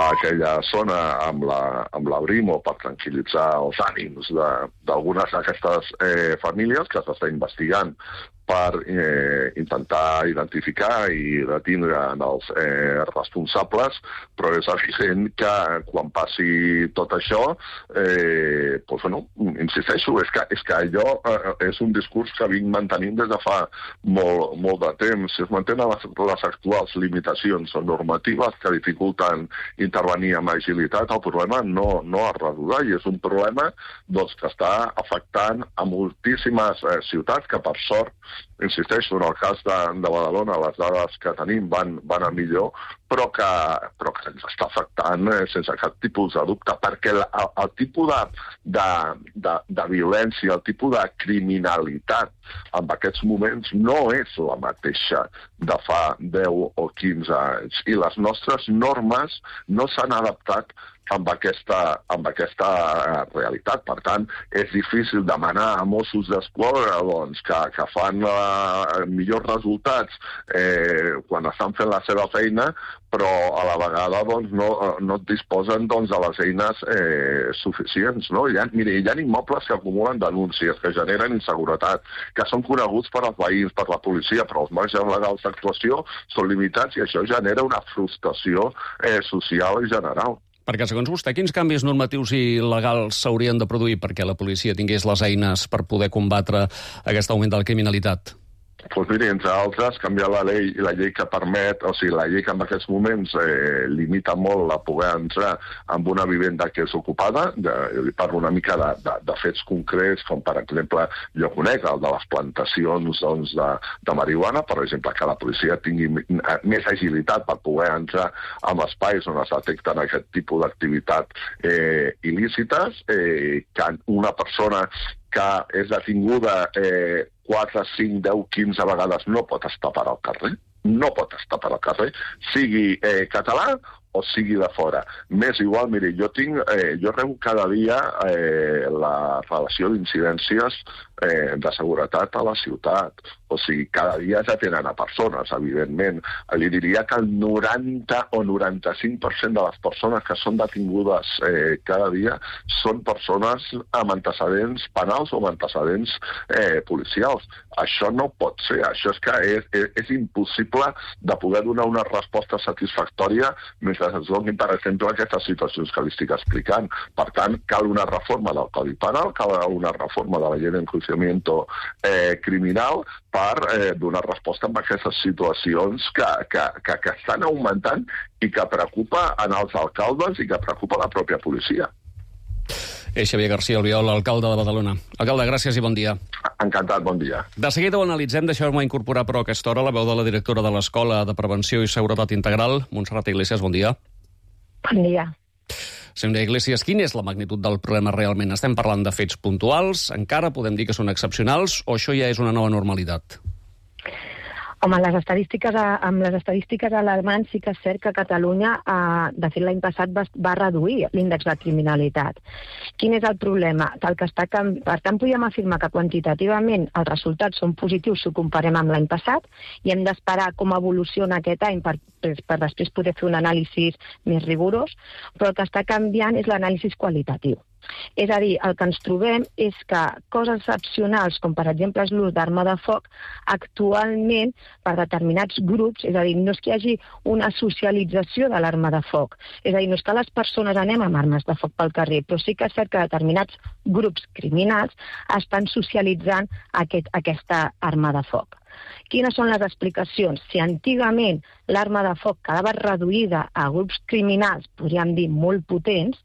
aquella zona amb la Brimo per tranquil·litzar els ànims d'algunes d'aquestes famílies que s'està investigant per intentar identificar i detindre els responsables, però és evident que quan passi tot això, insisteixo, és que allò és un discurs que vinc mantenint des de fa molt de temps. Si es mantenen les actuals limitacions normatives que dificulten intervenir amb agilitat, el problema no es resoldrà i és un problema que està afectant a moltíssimes ciutats que, per sort, insisteixo, en el cas de Badalona, les dades que tenim van a millor, però que ens està afectant sense cap tipus de dubte, perquè el tipus de violència, el tipus de criminalitat en aquests moments no és la mateixa de fa 10 o 15 anys. I les nostres normes no s'han adaptat amb aquesta realitat. Per tant, és difícil demanar a Mossos d'Esquadra que fan millors resultats quan estan fent la seva feina, però a la vegada no et disposen de les eines suficients. Hi ha immobles que acumulen denúncies, que generen inseguretat, que són coneguts per als veïns, per la policia, però els marges legals d'actuació són limitats i això genera una frustració social i general. Perquè, segons vostè, quins canvis normatius i legals s'haurien de produir perquè la policia tingués les eines per poder combatre aquest augment de la criminalitat? Doncs miri, entre altres, canviar la llei que permet, o sigui, la llei que en aquests moments limita molt la poder entrar en una vivenda que és ocupada, parlo una mica de fets concrets, com per exemple, jo conec el de les plantacions de marihuana, per exemple, que la policia tingui més agilitat per poder entrar en espais on es detecten aquest tipus d'activitat il·lícites, que una persona que és detinguda 4, 5, 10, 15 vegades no pot estar per al carrer, sigui català o sigui de fora. M'és igual, miri, jo rebo cada dia la relació d'incidències de seguretat a la ciutat. O sigui, cada dia ja tenen a persones, evidentment. Li diria que el 90 o 95% de les persones que són detingudes cada dia són persones amb antecedents penals o amb antecedents policials. Això no pot ser. Això és que és impossible de poder donar una resposta satisfactòria mentre es donin, per exemple, aquestes situacions que li estic explicant. Per tant, cal una reforma del Codi Penal, cal una reforma de la llei d'enjuiciamiento criminal per donar resposta a aquestes situacions que estan augmentant i que preocupa en els alcaldes i que preocupa la pròpia policia. És Xavier García Albiol, alcalde de Badalona. Alcalde, gràcies i bon dia. Encantat, bon dia. De seguida ho analitzem, deixeu-me incorporar però a aquesta hora la veu de la directora de l'Escola de Prevenció i Seguretat Integral, Montserrat Iglesias, bon dia. Bon dia. Senyora Iglesias, quina és la magnitud del problema realment? Estem parlant de fets puntuals, encara podem dir que són excepcionals, o això ja és una nova normalitat? Home, amb les estadístiques alarmants sí que és cert que Catalunya, de fet l'any passat, va reduir l'índex de criminalitat. Quin és el problema? Per tant, podríem afirmar que quantitativament els resultats són positius si ho comparem amb l'any passat i hem d'esperar com evoluciona aquest any per després poder fer un anàlisi més rigorós, però el que està canviant és l'anàlisi qualitatiu. És a dir, el que ens trobem és que coses excepcionals, com per exemple l'ús d'arma de foc, actualment per determinats grups, és a dir, no és que hi hagi una socialització de l'arma de foc, és a dir, no és que les persones anem amb armes de foc pel carrer, però sí que és cert que determinats grups criminals estan socialitzant aquesta arma de foc. Quines són les explicacions? Si antigament l'arma de foc quedava reduïda a grups criminals, podríem dir molt potents,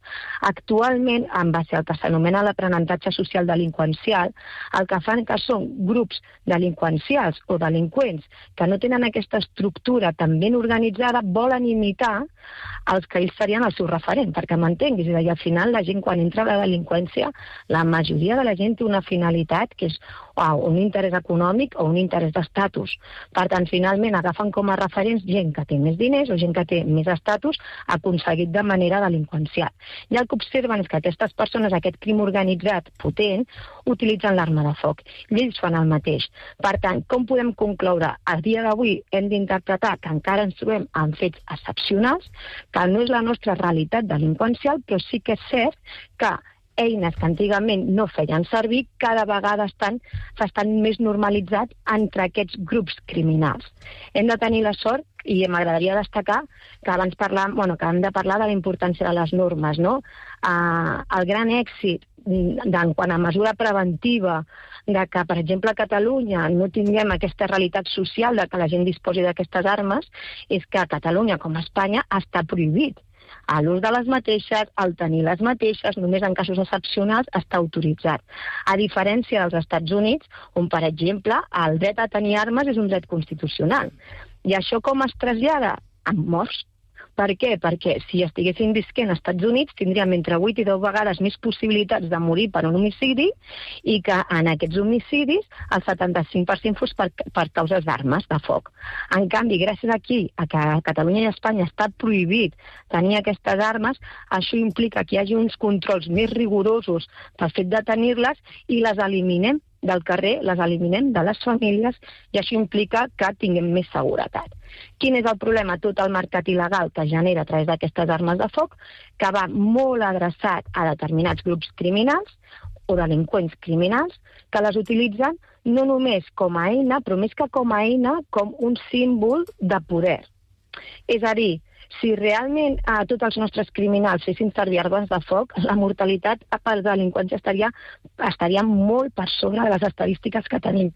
actualment, en base al que s'anomena l'aprenentatge social delinqüencial, el que fan que són grups delinqüencials o delinqüents que no tenen aquesta estructura tan ben organitzada, volen imitar els que ells serien el seu referent, perquè m'entenguis. És a dir, al final la gent quan entra a la delinqüència, la majoria de la gent té una finalitat que és un interès econòmic o un interès d'estatus. Per tant, finalment agafen com a referents gent que té més diners o gent que té més estatus aconseguit de manera delinqüencial. I el que observen és que aquestes persones, aquest crim organitzat potent, utilitzen l'arma de foc. I ells fan el mateix. Per tant, com podem concloure? A dia d'avui hem d'interpretar que encara ens trobem en fets excepcionals que no és la nostra realitat delinqüencial, però sí que és cert que eines que antigament no feien servir cada vegada s'estan més normalitzats entre aquests grups criminals. Hem de tenir la sort, i m'agradaria destacar que abans que hem de parlar de la importància de les normes, no? El gran èxit quant a mesura preventiva de que, per exemple, a Catalunya no tinguem aquesta realitat social de que la gent disposi d'aquestes armes és que a Catalunya, com a Espanya, està prohibit l'ús de les mateixes, el tenir les mateixes, només en casos excepcionals està autoritzat. A diferència dels Estats Units, on, per exemple, el dret a tenir armes és un dret constitucional. I això com es trasllada? Amb morts. Per què? Perquè si estiguessin visquent als Estats Units tindríem entre 8 i 10 vegades més possibilitats de morir per un homicidi i que en aquests homicidis el 75% fos per causes d'armes de foc. En canvi, gràcies aquí, a que a Catalunya i a Espanya està prohibit tenir aquestes armes, això implica que hi hagi uns controls més rigorosos pel fet de tenir-les i les eliminem del carrer, les eliminem de les famílies i això implica que tinguem més seguretat. Quin és el problema? Tot el mercat il·legal que genera a través d'aquestes armes de foc, que va molt adreçat a determinats grups criminals o delinqüents criminals que les utilitzen no només com a eina, però més que com a eina, com un símbol de poder. És a dir, si realment tots els nostres criminals fessin servir armes de foc, la mortalitat per delinqüència estaria molt per sobre de les estadístiques que tenim.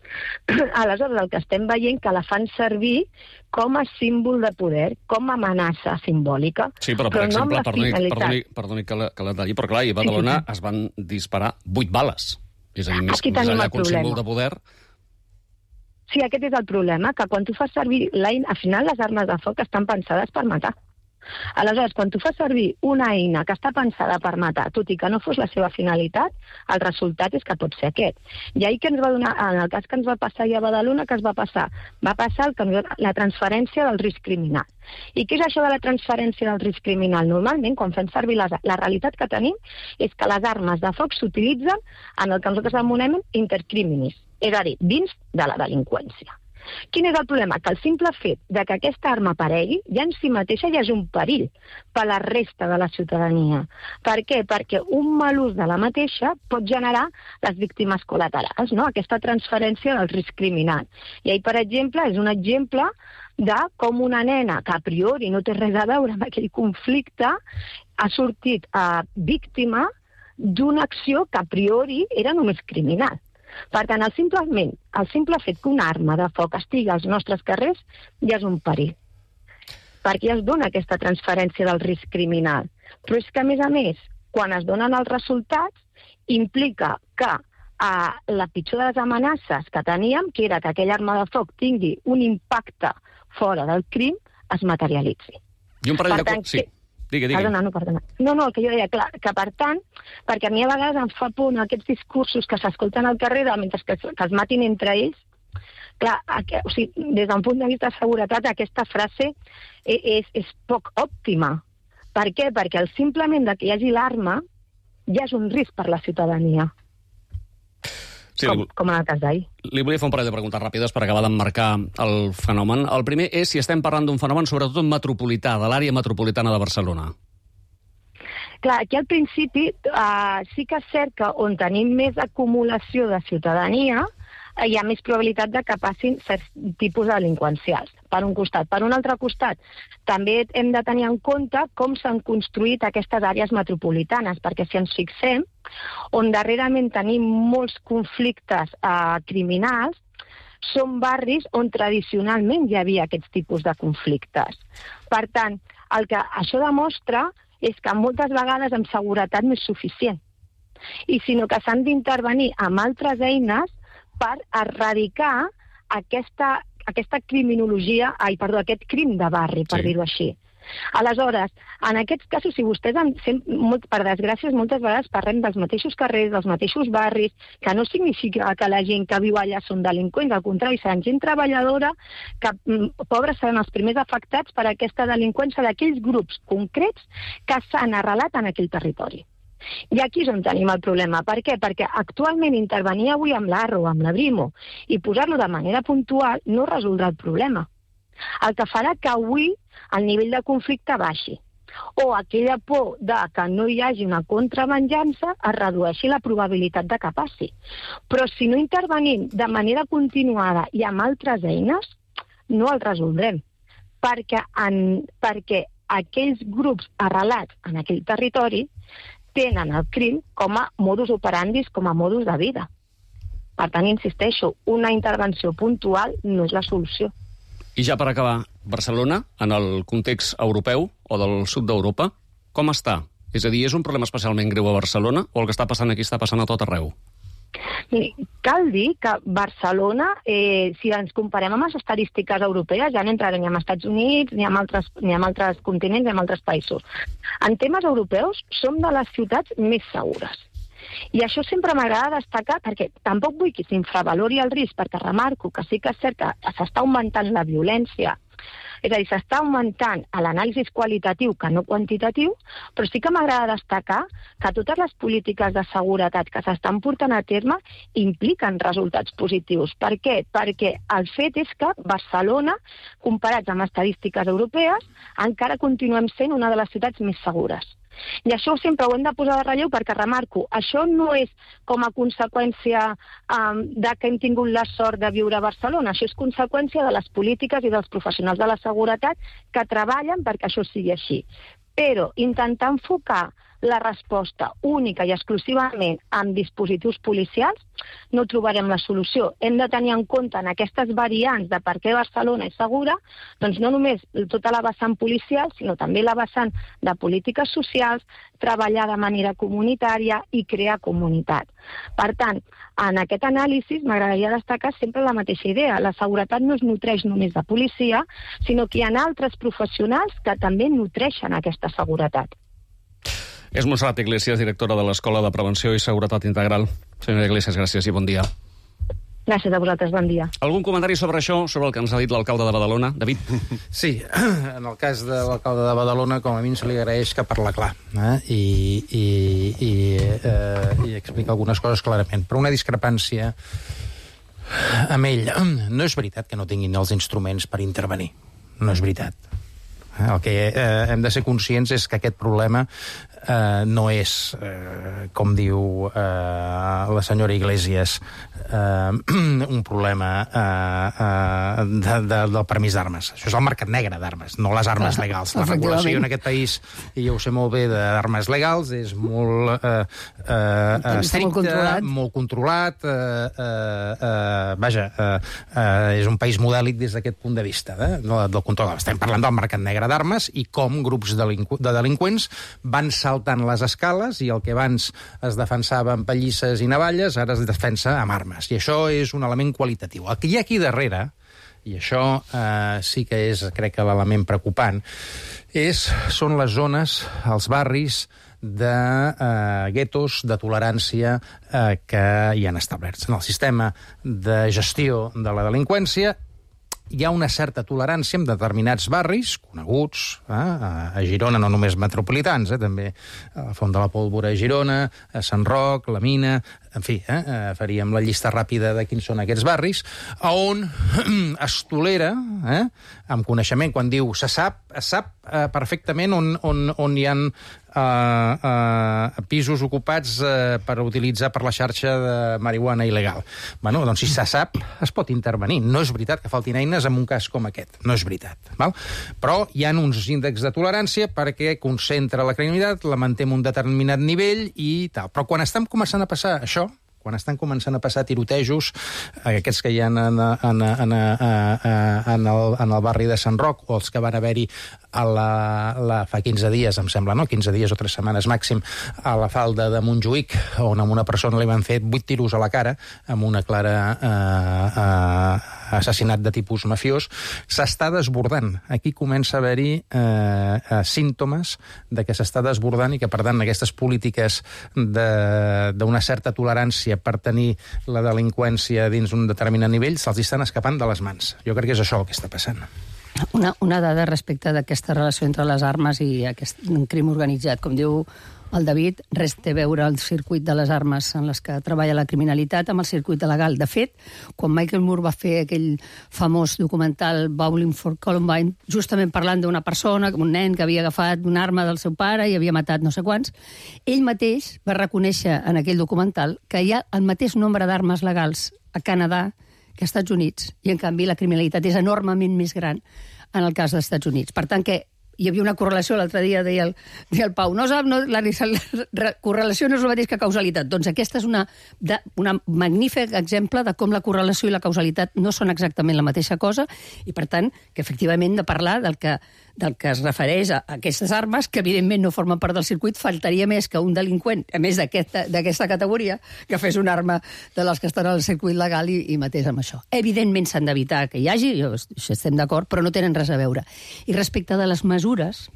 Aleshores, el que estem veient que la fan servir com a símbol de poder, com a amenaça simbòlica. Sí, però per exemple, perdoni que la talli, però clar, a Badalona es van disparar 8 bales. És a dir, més enllà que un símbol de poder. Sí, aquest és el problema, que quan tu fas servir al final les armes de foc estan pensades per matar. Aleshores, quan tu fas servir una eina que està pensada per matar, tot i que no fos la seva finalitat, el resultat és que pot ser aquest. I ahir que ens va donar, en el cas que ens va passar a Badalona, què es va passar? Va passar la transferència del risc criminal. I què és això de la transferència del risc criminal? Normalment, quan fem servir la realitat que tenim, és que les armes de foc s'utilitzen en el que nosaltres anomenem intercriminis, és a dir, dins de la delinqüència. Quin és el problema? Que el simple fet de que aquesta arma aparegui ja en si mateixa ja és un perill per a la resta de la ciutadania. Per què? Perquè un mal ús de la mateixa pot generar les víctimes col·laterals, no? Aquesta transferència del risc criminal. I ahir, per exemple, és un exemple de com una nena que a priori no té res a veure amb aquell conflicte ha sortit víctima d'una acció que a priori era només criminal. Per tant, el simple fet que una arma de foc estigui als nostres carrers ja és un perill, perquè ja es dona aquesta transferència del risc criminal. Però és que, a més, quan es donen els resultats, implica que la pitjor de les amenaces que teníem, que era que aquella arma de foc tingui un impacte fora del crim, es materialitzi. I un parell de... Sí. Digui. Perdona. No, el que jo deia, clar, que per tant, perquè a mi a vegades em fa por aquests discursos que s'escolten al carrer mentre que es matin entre ells, clar, o sigui, des d'un punt de vista de seguretat, aquesta frase és poc òptima. Per què? Perquè simplement que hi hagi l'arma ja és un risc per la ciutadania. Sí, com en el cas d'ahir. Li volia fer un parell de preguntes ràpides per acabar d'emmarcar el fenomen. El primer és si estem parlant d'un fenomen sobretot metropolità, de l'àrea metropolitana de Barcelona. Clar, aquí al principi sí que és cert que on tenim més acumulació de ciutadania hi ha més probabilitat de que passin certs tipus de delinqüencials, per un costat. Per un altre costat, també hem de tenir en compte com s'han construït aquestes àrees metropolitanes, perquè si ens fixem, on darrerament tenim molts conflictes criminals, són barris on tradicionalment hi havia aquests tipus de conflictes. Per tant, el que això demostra és que moltes vegades amb seguretat no és suficient, i sinó que s'han d'intervenir amb altres eines per erradicar aquesta criminologia, aquest crim de barri, per dir-ho així. Aleshores, en aquests casos, si vostès, per desgràcia, moltes vegades parlem dels mateixos carrers, dels mateixos barris, que no significa que la gent que viu allà són delinqüents, al contrari, seran gent treballadora, que pobres seran els primers afectats per aquesta delinqüència d'aquells grups concrets que s'han arrelat en aquell territori. I aquí és on tenim el problema. Per què? Perquè actualment intervenir avui amb l'Arro o amb la Brimo i posar-lo de manera puntual no resoldrà el problema. El que farà que avui el nivell de conflicte baixi. O aquella por de que no hi hagi una contravenjança es redueixi la probabilitat de que passi. Però si no intervenim de manera continuada i amb altres eines, no el resoldrem. Perquè aquells grups arrelats en aquell territori tenen el crim com a modus operandi, com a modus de vida. Per tant, insisteixo, una intervenció puntual no és la solució. I ja per acabar, Barcelona, en el context europeu o del sud d'Europa, com està? És a dir, és un problema especialment greu a Barcelona o el que està passant aquí està passant a tot arreu? Cal dir que Barcelona, si ens comparem amb les estadístiques europees, ja no entrarem ni amb Estats Units, ni amb altres continents, ni amb altres països. En temes europeus, som de les ciutats més segures. I això sempre m'agrada destacar, perquè tampoc vull que s'infravalori el risc, perquè remarco que sí que és cert que s'està augmentant la violència, és a dir, s'està augmentant l'anàlisi qualitatiu que no quantitatiu, però sí que m'agrada destacar que totes les polítiques de seguretat que s'estan portant a terme impliquen resultats positius. Per què? Perquè el fet és que Barcelona, comparats amb estadístiques europees, encara continuem sent una de les ciutats més segures. I això sempre ho hem de posar de relleu perquè, remarco, això no és com a conseqüència de que hem tingut la sort de viure a Barcelona, això és conseqüència de les polítiques i dels professionals de la seguretat que treballen perquè això sigui així. Però intentar enfocar la resposta única i exclusivament amb dispositius policials no trobarem la solució. Hem de tenir en compte en aquestes variants de per què Barcelona és segura, doncs no només tota la vessant policial, sinó també la vessant de polítiques socials, treballar de manera comunitària i crear comunitat. Per tant, en aquest anàlisi m'agradaria destacar sempre la mateixa idea. La seguretat no es nutreix només de policia, sinó que hi ha altres professionals que també nutreixen aquesta seguretat. És Montserrat Iglesias, directora de l'Escola de Prevenció i Seguretat Integral. Senyora Iglesias, gràcies i bon dia. Gràcies a vosaltres, bon dia. Algun comentari sobre això, sobre el que ens ha dit l'alcalde de Badalona? David? Sí, en el cas de l'alcalde de Badalona, com a mínim se li agraeix que parla clar i explica algunes coses clarament. Però una discrepància amb ell. No és veritat que no tinguin els instruments per intervenir. No és veritat. El que hem de ser conscients és que aquest problema no és, com diu la senyora Iglesias, un problema del permís d'armes. Això és el mercat negre d'armes, no les armes legals. La regulació en aquest país, i jo ho sé molt bé, d'armes legals és molt estricta, molt controlat. Vaja, és un país modèlic des d'aquest punt de vista del control. Estem parlant del mercat negre d'armes i com grups de delinqüents van saltant les escales i el que abans es defensava amb pallisses i navalles ara es defensa amb armes. I això és un element qualitatiu. El que hi ha aquí darrere, i això sí que és, crec que l'element preocupant, són les zones, els barris de guetos de tolerància que hi han establerts. En el sistema de gestió de la delinqüència hi ha una certa tolerància en determinats barris coneguts, a Girona, no només metropolitans, també a la Font de la Pólvora a Girona, a Sant Roc, la Mina, en fi, faríem la llista ràpida de quins són aquests barris, on es tolera, amb coneixement, quan diu es sap perfectament on hi ha pisos ocupats per utilitzar per la xarxa de marihuana il·legal. Bueno, doncs si se sap, es pot intervenir. No és veritat que faltin eines en un cas com aquest. No és veritat. Val? Però hi ha uns índexs de tolerància perquè concentra la criminalitat, la manté en un determinat nivell i tal. Però quan estem començant a passar això, quan estan començant a passar tirotejos, aquests que hi ha en el barri de Sant Roc, o els que van haver-hi fa 15 dies, em sembla, no? 15 dies o 3 setmanes màxim, a la falda de Montjuïc, on a una persona li van fer 8 tiros a la cara, amb una clara assassinat de tipus mafiós, s'està desbordant. Aquí comença a haver-hi símptomes de que s'està desbordant i que, per tant, aquestes polítiques d'una certa tolerància per tenir la delinqüència dins un determinat nivell se'ls estan escapant de les mans. Jo crec que és això el que està passant. Una dada respecte d'aquesta relació entre les armes i aquest crim organitzat. Com diu el David, res té a veure el circuit de les armes en les que treballa la criminalitat amb el circuit legal. De fet, quan Michael Moore va fer aquell famós documental Bowling for Columbine, justament parlant d'una persona, un nen que havia agafat una arma del seu pare i havia matat no sé quants, ell mateix va reconèixer en aquell documental que hi ha el mateix nombre d'armes legals a Canadà que als Estats Units, i en canvi la criminalitat és enormement més gran en el cas dels Estats Units. Per tant, que hi havia una correlació, l'altre dia deia el Pau, la correlació no és el mateix que causalitat. Doncs aquesta és una magnífic exemple de com la correlació i la causalitat no són exactament la mateixa cosa, i per tant, que efectivament de parlar del que es refereix a aquestes armes, que evidentment no formen part del circuit. Faltaria més que un delinqüent, a més d'aquesta categoria, que fes una arma de les que estan al circuit legal i matés amb això. Evidentment s'han d'evitar que hi hagi, estem d'acord, però no tenen res a veure. I respecte de les mesures,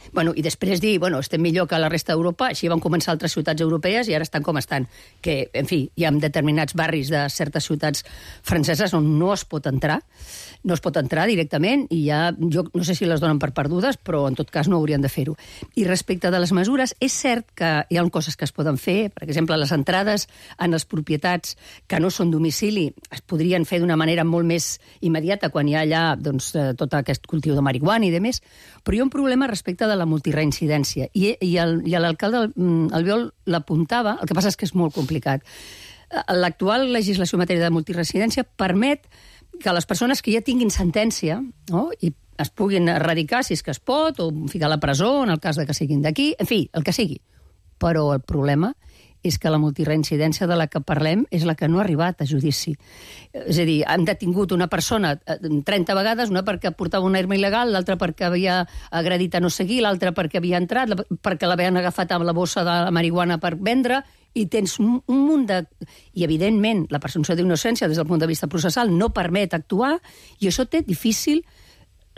i després dir, estem millor que la resta d'Europa, així van començar altres ciutats europees i ara estan com estan, que, en fi, hi ha determinats barris de certes ciutats franceses on no es pot entrar directament, i jo no sé si les donen per perdudes, però en tot cas no haurien de fer-ho. I respecte de les mesures, és cert que hi ha coses que es poden fer, per exemple, les entrades en les propietats que no són domicili es podrien fer d'una manera molt més immediata quan hi ha allà tot aquest cultiu de marihuana i demés, però hi ha un problema respecte de la multireincidència, i l'alcalde Albiol l'apuntava, el que passa és que és molt complicat. L'actual legislació en matèria de multireincidència permet que les persones que ja tinguin sentència, i es puguin erradicar si és que es pot, o ficar a la presó en el cas de que siguin d'aquí, en fi, el que sigui. Però el problema és que la multireincidència de la que parlem és la que no ha arribat a judici. És a dir, han detingut una persona 30 vegades, una perquè portava una arma il·legal, l'altra perquè havia agredit a no sé qui, l'altra perquè havia entrat, perquè l'havien agafat amb la bossa de la marihuana per vendre, i tens un munt de... I, evidentment, la presumpció d'innocència des del punt de vista processal no permet actuar, i això té difícil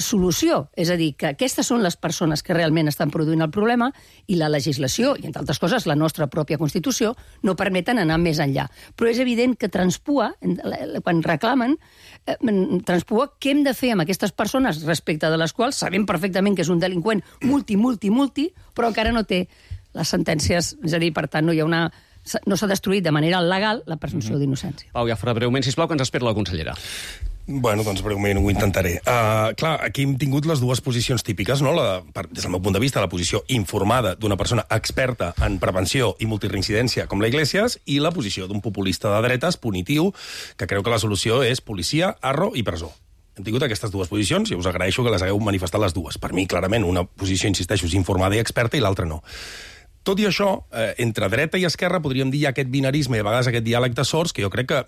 solució. És a dir, que aquestes són les persones que realment estan produint el problema, i la legislació, i entre altres coses la nostra pròpia Constitució, no permeten anar més enllà. Però és evident que transpua, quan reclamen, transpua què hem de fer amb aquestes persones respecte de les quals sabem perfectament que és un delinqüent multi, però encara no té les sentències, és a dir, per tant, no s'ha destruït de manera legal la presumpció d'innocència. Pau Jafre, breument, sisplau, que ens espera la consellera. Doncs breument ho intentaré. Clar, aquí hem tingut les dues posicions típiques, no? Des del meu punt de vista, la posició informada d'una persona experta en prevenció i multireincidència com la Iglesias, i la posició d'un populista de dretes punitiu que creu que la solució és policia, arro i presó. Hem tingut aquestes dues posicions i us agraeixo que les hagueu manifestat les dues. Per mi, clarament, una posició, insisteixo, és informada i experta, i l'altra no. Tot i això, entre dreta i esquerra podríem dir aquest binarisme i a vegades aquest diàleg de sords que jo crec que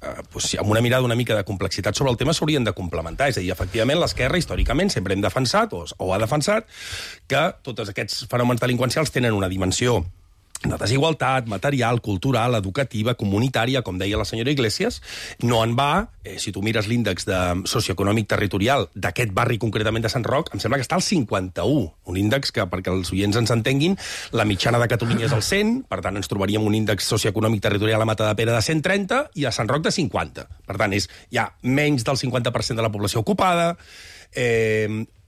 amb una mirada una mica de complexitat sobre el tema s'haurien de complementar. És a dir, efectivament, l'esquerra històricament sempre hem defensat o ha defensat que tots aquests fenòmens delinqüencials tenen una dimensió de desigualtat material, cultural, educativa, comunitària, com deia la senyora Iglesias. No en va, si tu mires l'índex socioeconòmic territorial d'aquest barri concretament de Sant Roc, em sembla que està al 51, un índex que, perquè els oients ens entenguin, la mitjana de Catalunya és el 100, per tant ens trobaríem un índex socioeconòmic territorial a Matadepera de 130 i a Sant Roc de 50. Per tant, hi ha menys del 50% de la població ocupada,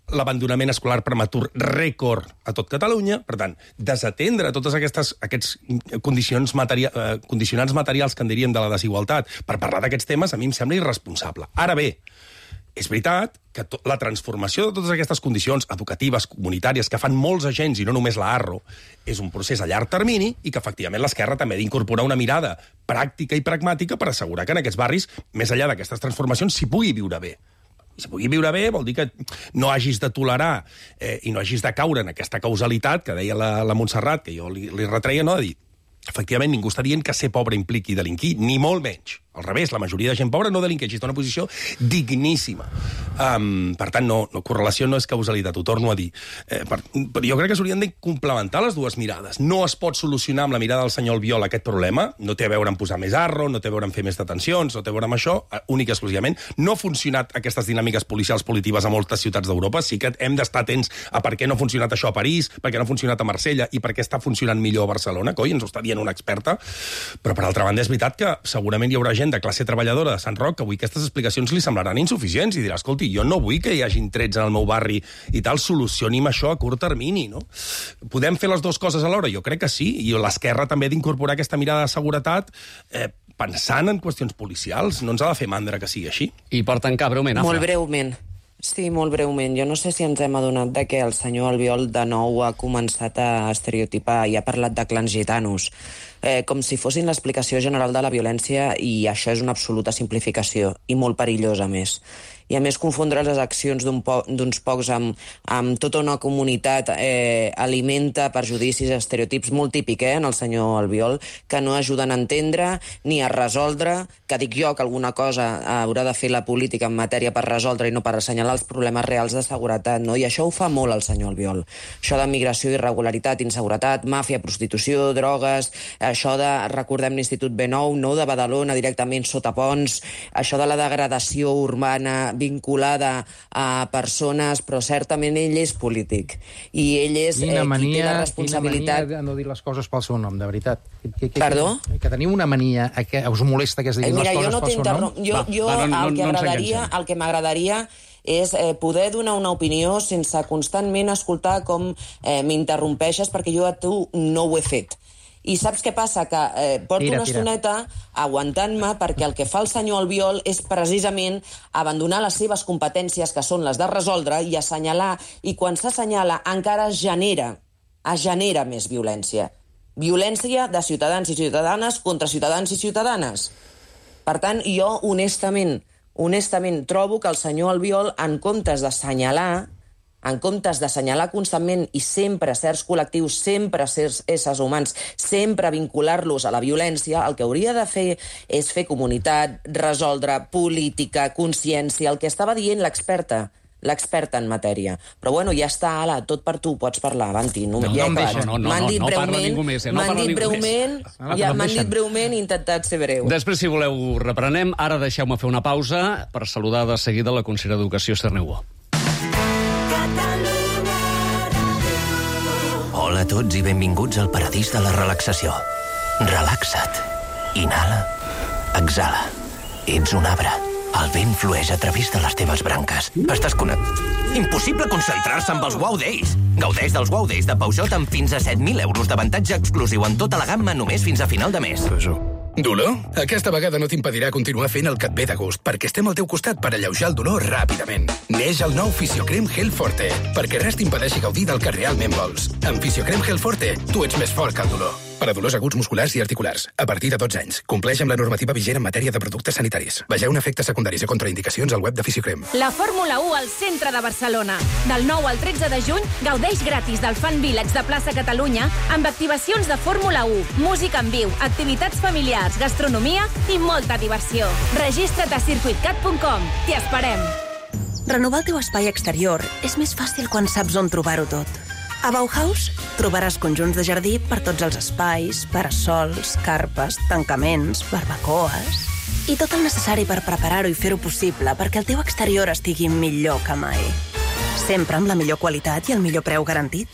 l'abandonament escolar prematur rècord a tot Catalunya. Per tant, desatendre tots aquests condicionants materials que en diríem de la desigualtat per parlar d'aquests temes a mi em sembla irresponsable. Ara bé, és veritat que la transformació de totes aquestes condicions educatives, comunitàries, que fan molts agents i no només la ARRO, és un procés a llarg termini i que, efectivament, l'esquerra també ha d'incorporar una mirada pràctica i pragmàtica per assegurar que en aquests barris, més enllà d'aquestes transformacions, s'hi pugui viure bé. I si pugui viure bé vol dir que no hagis de tolerar i no hagis de caure en aquesta causalitat que deia la Montserrat, que jo li retreia, no? De dir, efectivament, ningú està dient que ser pobre impliqui delinquir, ni molt menys. Al revés, la majoria de gent pobra no delinqueix, està en una posició digníssima. Per tant, correlació no és causalitat, ho torno a dir. Però jo crec que s'haurien de complementar les dues mirades. No es pot solucionar amb la mirada del senyor Albiol aquest problema, no té a veure amb posar més arro, no té a veure amb fer més detencions, no té a veure amb això, únic i exclusivament. No ha funcionat aquestes dinàmiques policials punitives a moltes ciutats d'Europa, sí que hem d'estar atents a per què no ha funcionat això a París, per què no ha funcionat a Marsella i per què està funcionant millor a Barcelona, coi, ens ho està dient una experta. Però, per altra banda, és veritat que segurament hi haurà gent gent de classe treballadora de Sant Roc que avui aquestes explicacions li semblaran insuficients i dirà, escolti, jo no vull que hi hagin trets en el meu barri i tal, solucioni'm això a curt termini, no? Podem fer les dues coses alhora? Jo crec que sí, i l'esquerra també ha d'incorporar aquesta mirada de seguretat pensant en qüestions policials. No ens ha de fer mandra que sigui així. I per tancar, breument, Afra. Molt breument. Sí, molt breument. Jo no sé si ens hem adonat de que el senyor Albiol de nou ha començat a estereotipar i ha parlat de clans gitanos, com si fossin l'explicació general de la violència, i això és una absoluta simplificació, i molt perillosa, a més. I a més confondre les accions d'uns pocs amb tota una comunitat alimenta perjudicis, estereotips molt típic en el senyor Albiol, que no ajuden a entendre ni a resoldre, que dic jo que alguna cosa haurà de fer la política en matèria per resoldre i no per assenyalar els problemes reals de seguretat, no? I això ho fa molt el senyor Albiol. Això de migració, irregularitat, inseguretat, màfia, prostitució, drogues, això de, recordem l'Institut B9, no, de Badalona directament sota ponts, això de la degradació urbana vinculada a persones, però certament ell és polític. I ell és qui té la responsabilitat... Quina mania de no dir les coses pel seu nom, de veritat. Perdó? Que teniu una mania, que us molesta que es diguin les coses pel seu nom? El que m'agradaria és poder donar una opinió sense constantment escoltar com m'interrompeixes, perquè jo a tu no ho he fet. I saps què passa? Que porto una estoneta aguantant-me, perquè el que fa el senyor Albiol és precisament abandonar les seves competències, que són les de resoldre i assenyalar, i quan s'assenyala encara es genera més violència. Violència de ciutadans i ciutadanes contra ciutadans i ciutadanes. Per tant, jo honestament trobo que el senyor Albiol, en comptes d'assenyalar constantment i sempre certs col·lectius, sempre certs éssers humans, sempre vincular-los a la violència, el que hauria de fer és fer comunitat, resoldre, política, consciència, el que estava dient l'experta en matèria. Però bueno, ja està, ala, tot per tu, pots parlar, Avanti. No parla ningú més. M'han dit breument i he intentat ser breu. Després, si voleu, reprenem. Ara deixeu-me fer una pausa per saludar de seguida la consellera d'Educació, Esther Niubó. Hola a tots i benvinguts al paradís de la relaxació. Relaxa't. Inhala. Exhala. Ets un arbre. El vent flueix a través de les teves branques. Estàs Impossible concentrar-se amb els Wow Days. Gaudeix dels Wow Days de Peugeot amb fins a 7.000 euros d'avantatge exclusiu en tota la gamma només fins a final de mes. Dolor? Aquesta vegada no t'impedirà continuar fent el que et ve de gust, perquè estem al teu costat per alleujar el dolor ràpidament. Neix el nou Fisiocrem Gel Forte, perquè res t'impedeixi gaudir del que realment vols. Amb Fisiocrem Gel Forte, tu ets més fort que el dolor. Per a dolors aguts musculars i articulars, a partir de 12 anys. Compleix amb la normativa vigent en matèria de productes sanitaris. Vegeu efectes secundaris i contraindicacions al web de Fisiocrem. La Fórmula 1 al centre de Barcelona. Del 9 al 13 de juny, gaudeix gratis del Fan Village de Plaça Catalunya amb activacions de Fórmula 1, música en viu, activitats familiars, gastronomia i molta diversió. Registra't a circuitcat.com. T'hi esperem. Renovar el teu espai exterior és més fàcil quan saps on trobar-ho tot. A Bauhaus trobaràs conjunts de jardí per tots els espais, parasols, carpes, tancaments, barbacoes i tot el necessari per preparar-ho i fer-ho possible perquè el teu exterior estigui millor que mai. Sempre amb la millor qualitat i el millor preu garantit.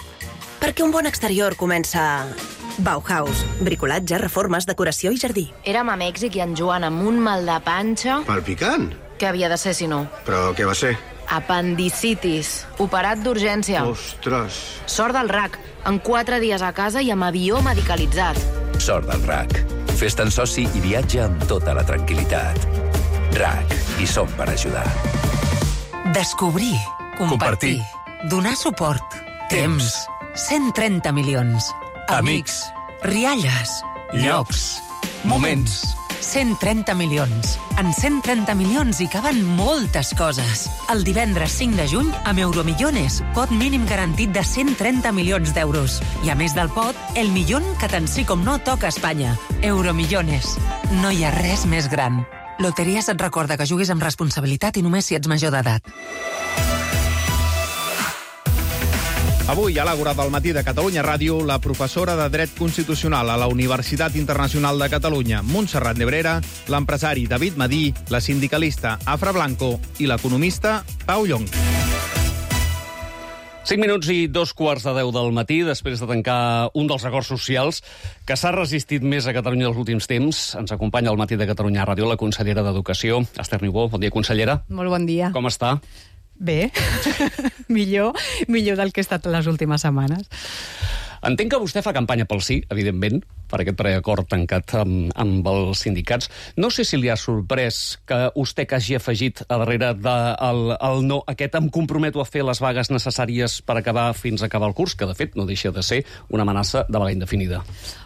Perquè un bon exterior comença a Bauhaus. Bricolatge, reformes, decoració i jardí. Érem a Mèxic i en Joan amb un mal de panxa... Palpicant? Què havia de ser, si no? Però què va ser? Apendicitis. Operat d'urgència. Ostres. Sort del RAC. En 4 dies a casa i amb avió medicalitzat. Sort del RAC. Fes-te'n soci i viatja amb tota la tranquil·litat. RAC. Hi som per ajudar. Descobrir. Compartir. Donar suport. Temps. 130 milions. Amics. Rialles. Llocs. Moments. 130 milions. En 130 milions hi caben moltes coses. El divendres 5 de juny, amb Euromillones, pot mínim garantit de 130 milions d'euros. I a més del pot, el millón que tant sí com no toca a Espanya. Euromillones. No hi ha res més gran. Loteries et recorda que juguis amb responsabilitat i només si ets major d'edat. Avui, a l'Àgora del matí de Catalunya Ràdio, la professora de Dret Constitucional a la Universitat Internacional de Catalunya, Montserrat Nebrera, l'empresari David Madí, la sindicalista Afra Blanco i l'economista Pau Llonch. 5 minuts i 2:15 del matí, després de tancar un dels acords socials que s'ha resistit més a Catalunya els últims temps. Ens acompanya al Matí de Catalunya Ràdio la consellera d'Educació, Esther Niubó. Bon dia, consellera. Molt bon dia. Com està? Bé, millor del que he estat les últimes setmanes. Entenc que vostè fa campanya pel sí, evidentment, per aquest preacord tancat amb els sindicats. No sé si li ha sorprès que vostè que hagi afegit a darrere del no aquest em comprometo a fer les vagues necessàries per acabar fins a acabar el curs, que de fet no deixa de ser una amenaça de vaga indefinida.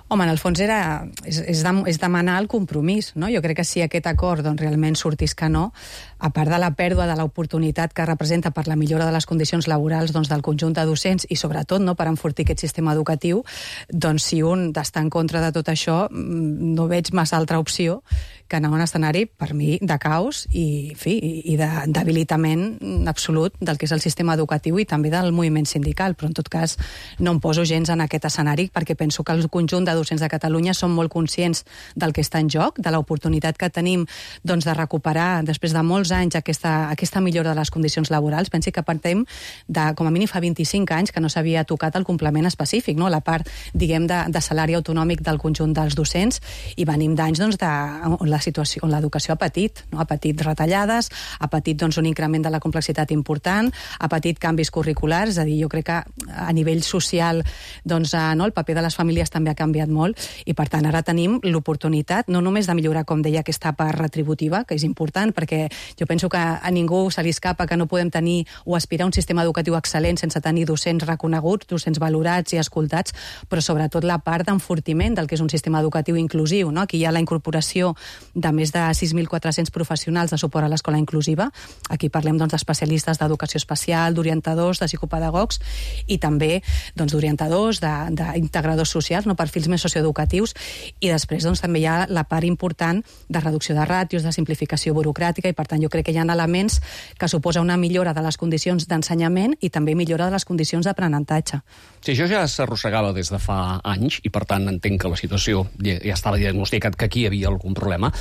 Home, en el fons és demanar el compromís, no? Jo crec que si aquest acord realment sortís que no, a part de la pèrdua de l'oportunitat que representa per la millora de les condicions laborals del conjunt de docents i sobretot per enfortir aquest sistema educatiu, doncs si un està en contra de tot això, no veig massa altra opció que anar a un escenari, per mi, de caos i de debilitament absolut del que és el sistema educatiu i també del moviment sindical, però en tot cas no em poso gens en aquest escenari perquè penso que el conjunt de docents de Catalunya són molt conscients del que està en joc, de l'oportunitat que tenim de recuperar després de molts anys aquesta millora de les condicions laborals. Pensi que partim de, com a mínim fa 25 anys que no s'havia tocat el complement específic, no? La part, diguem, de salari autonòmic del conjunt dels docents, i venim d'anys on la situació, on l'educació ha patit, no? Ha patit retallades, ha patit un increment de la complexitat important, ha patit canvis curriculars, és a dir, jo crec que a nivell social el paper de les famílies també ha canviat molt, i per tant ara tenim l'oportunitat no només de millorar, com deia, aquesta part retributiva, que és important, perquè jo penso que a ningú se li escapa que no podem tenir o aspirar a un sistema educatiu excel·lent sense tenir docents reconeguts, docents valorats i escoltats, però sobretot la part d'enfortiment del que és un sistema educatiu inclusiu, no? Aquí hi ha la incorporació de més de 6.400 professionals de suport a l'escola inclusiva. Aquí parlem d'especialistes d'educació especial, d'orientadors, de psicopedagogs i també d'orientadors, d'integradors socials, perfils més socioeducatius, i després també hi ha la part important de reducció de ràtios, de simplificació burocràtica, i per tant jo crec que hi ha elements que suposa una millora de les condicions d'ensenyament i també millora de les condicions d'aprenentatge. Sí, això ja s'arrossegava des de fa anys i per tant entenc que la situació ja estava diagnosticat que aquí hi havia algun problema.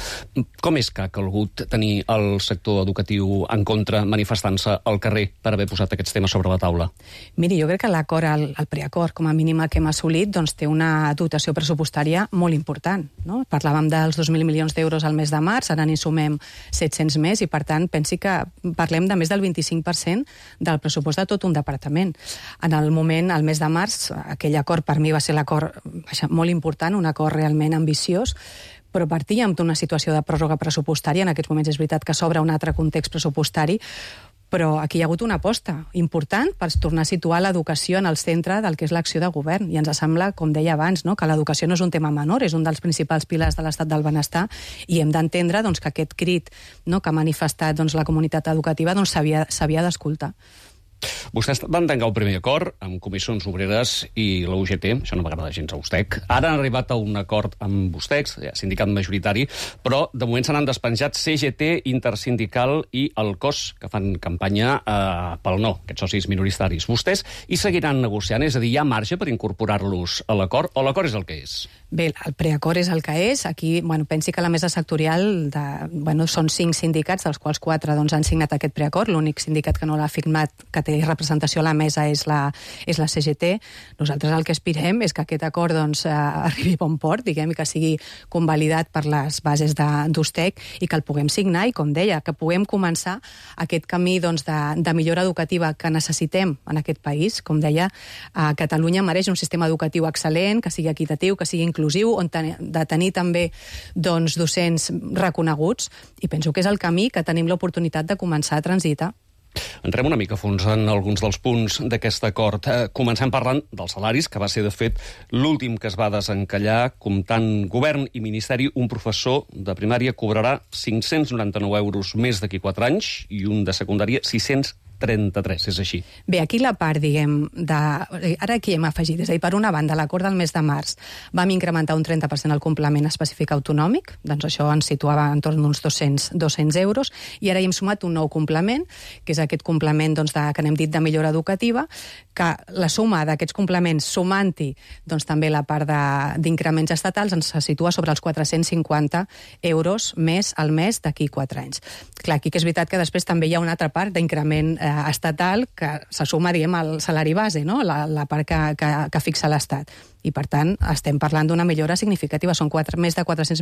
Com és que ha calgut tenir el sector educatiu en contra manifestant-se al carrer per haver posat aquests temes sobre la taula? Miri, jo crec que l'acord, el preacord, com a mínim el que hem assolit, té una dotació pressupostària molt important, no? Parlàvem dels 2.000 milions d'euros al mes de març, ara n'hi sumem 700 més, i per tant pensi que parlem de més del 25% del pressupost de tot un departament. En el moment, al mes de març, aquell acord per mi va ser l'acord molt important, un acord realment ambiciós, però partíem d'una situació de pròrroga pressupostària. En aquests moments és veritat que s'obre un altre context pressupostari, però aquí hi ha hagut una aposta important per tornar a situar l'educació en el centre del que és l'acció de govern, i ens sembla, com deia abans, que l'educació no és un tema menor, és un dels principals pilars de l'estat del benestar, i hem d'entendre que aquest crit que ha manifestat la comunitat educativa s'havia d'escoltar. Vostès van tancar un primer acord amb Comissions Obreres i la UGT, això no m'agrada gens a USTEC. Ara han arribat a un acord amb USTEC, sindicat majoritari, però de moment se n'han despenjat CGT, Intersindical i el COS, que fan campanya pel no, aquests socis minoritaris. Vostès hi seguiran negociant? És a dir, hi ha marge per incorporar-los a l'acord, o l'acord és el que és? Bé, el preacord és el que és. Aquí, pensi que la mesa sectorial són 5 sindicats, dels quals 4 han signat aquest preacord. L'únic sindicat que no l'ha firmat, que té representació a la mesa, és la CGT. Nosaltres el que aspirem és que aquest acord arribi a bon port, diguem, i que sigui convalidat per les bases d'USTEC i que el puguem signar, i com deia, que puguem començar aquest camí de millora educativa que necessitem en aquest país. Com deia, Catalunya mereix un sistema educatiu excel·lent, que sigui equitatiu, que sigui inclusiu, on de tenir també docents reconeguts, i penso que és el camí que tenim l'oportunitat de començar a transitar. Entrem una mica a fons en alguns dels punts d'aquest acord. Comencem parlant dels salaris, que va ser, de fet, l'últim que es va desencallar. Comptant govern i ministeri, un professor de primària cobrarà 599 euros més d'aquí 4 anys i un de secundària 633, és així. Bé, aquí la part, diguem, ara aquí hem afegit, és a dir, per una banda, l'acord del mes de març vam incrementar un 30% el complement específic autonòmic, doncs això ens situava en torn d'uns 200 euros, i ara hi hem sumat un nou complement, que és aquest complement que n'hem dit de millora educativa, que la suma d'aquests complements, sumant-hi també la part d'increments estatals, ens situa sobre els 450 euros més al mes d'aquí 4 anys. Clar, aquí que és veritat que després també hi ha una altra part d'increment estatal que se suma, diguem, al salari base, no? La part que fixa l'Estat. I, per tant, estem parlant d'una millora significativa. Són més de 400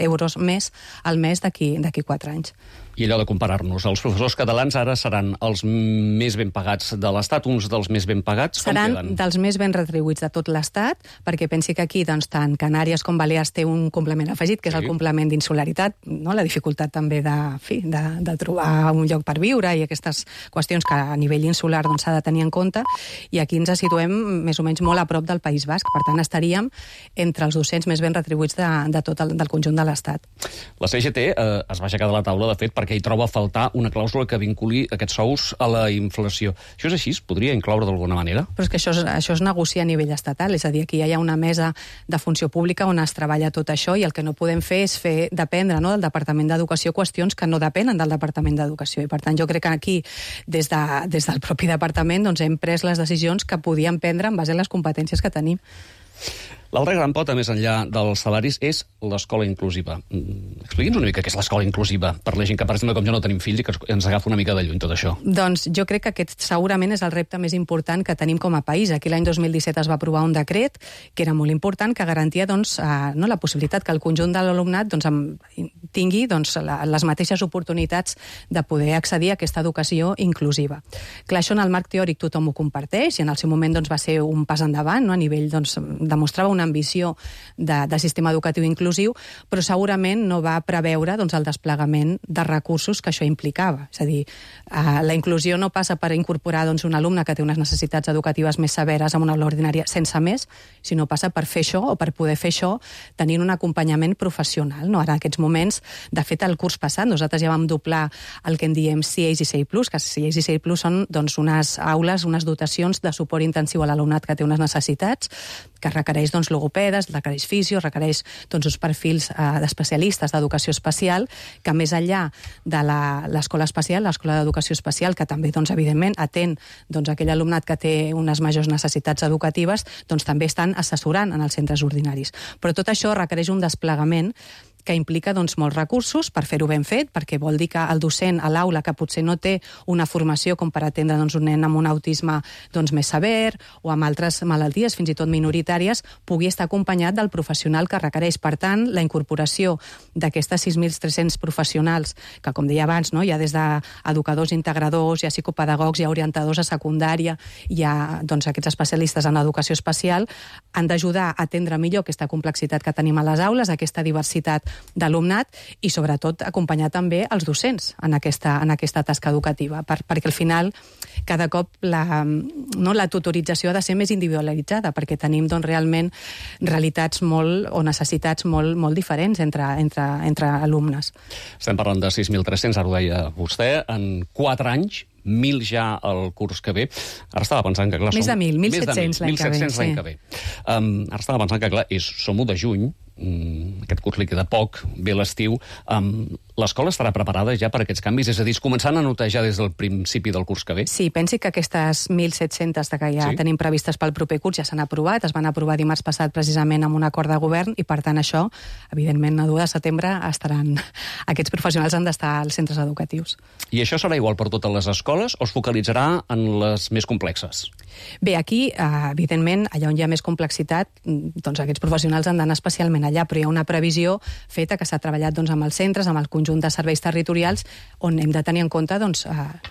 euros més al mes d'aquí 4 anys. I allò de comparar-nos, els professors catalans ara seran els més ben pagats de l'Estat, uns dels més ben pagats? Seran dels més ben retribuïts de tot l'Estat, perquè pensi que aquí, doncs, tant Canàries com Balears té un complement afegit, que és el complement d'insularitat, no? La dificultat també de trobar un lloc per viure i aquestes qüestions que a nivell insular s'ha de tenir en compte, i aquí ens situem més o menys molt a prop del País Basc. Per tant, estaríem entre els docents més ben retribuïts del conjunt de l'Estat. La CGT es va aixecar de la taula, de fet, perquè hi troba a faltar una clàusula que vinculi aquests sous a la inflació. Això és així? Es podria incloure d'alguna manera? Però és que això es negocia a nivell estatal, és a dir, aquí hi ha una mesa de funció pública on es treballa tot això, i el que no podem fer és fer dependre, no, del Departament d'Educació qüestions que no depenen del Departament d'Educació. I, per tant, jo crec que aquí, des del propi departament, doncs, hem pres les decisions que podíem prendre en base a les competències que tenim. L'altra gran pota, més enllà dels salaris, és l'escola inclusiva. Expliqui'ns una mica què és l'escola inclusiva, per la gent que, per exemple, com jo no tenim fills i que ens agafa una mica de lluny tot això. Doncs jo crec que aquest segurament és el repte més important que tenim com a país. Aquí l'any 2017 es va aprovar un decret que era molt important, que garantia la possibilitat que el conjunt de l'alumnat tingui les mateixes oportunitats de poder accedir a aquesta educació inclusiva. Clar, això en el marc teòric tothom ho comparteix, i en el seu moment va ser un pas endavant, a nivell demostrava una ambició de sistema educatiu inclusiu, però segurament no va preveure el desplegament de recursos que això implicava. És a dir, la inclusió no passa per incorporar un alumne que té unes necessitats educatives més severes a una aula ordinària sense més, sinó passa per fer això, o per poder fer això, tenint un acompanyament professional. Ara, en aquests moments, de fet, el curs passat, nosaltres ja vam doblar el que en diem CIEIs i CIE+, que CIEIs i CIE+ són unes aules, unes dotacions de suport intensiu a l'alumnat que té unes necessitats, que requereix logopedes, requereix fisios, requereix uns perfils d'especialistes d'educació especial, que més enllà de l'escola especial, l'escola d'educació especial, que també, evidentment, atén aquell alumnat que té unes majors necessitats educatives, també estan assessorant en els centres ordinaris. Però tot això requereix un desplegament que implica molts recursos per fer-ho ben fet, perquè vol dir que el docent a l'aula, que potser no té una formació com per atendre un nen amb un autisme més sever o amb altres malalties, fins i tot minoritàries, pugui estar acompanyat del professional que requereix. Per tant, la incorporació d'aquestes 6.300 professionals, que, com deia abans, hi ha des d'educadors integradors, hi ha psicopedagogs, hi ha orientadors a secundària, hi ha aquests especialistes en educació especial, han d'ajudar a atendre millor aquesta complexitat que tenim a les aules, aquesta diversitat d'alumnat, i sobretot acompanyar també els docents en aquesta tasca educativa, perquè al final cada cop la tutorització ha de ser més individualitzada, perquè tenim realment realitats o necessitats molt diferents entre alumnes. Estem parlant de 6.300, ara ho deia vostè, en 4 anys, 1.000 ja el curs que ve. Ara estava pensant que, clar... Més de 1.000, 1.700 l'any que ve. Ara estava pensant que, clar, som-ho de juny, aquest curs li queda poc, ve l'estiu, l'escola estarà preparada ja per aquests canvis? És a dir, començant a notar ja des del principi del curs que ve? Sí, pensi que aquestes 1.700 que ja tenim previstes pel proper curs ja s'han aprovat, es van aprovar dimarts passat precisament amb un acord de govern, i per tant això, evidentment, a 2 de setembre aquests professionals han d'estar als centres educatius. I això serà igual per totes les escoles o es focalitzarà en les més complexes? Bé, aquí, evidentment, allà on hi ha més complexitat, aquests professionals han d'anar especialment allà, però hi ha una previsió feta que s'ha treballat amb els centres, amb el conjunt de serveis territorials, on hem de tenir en compte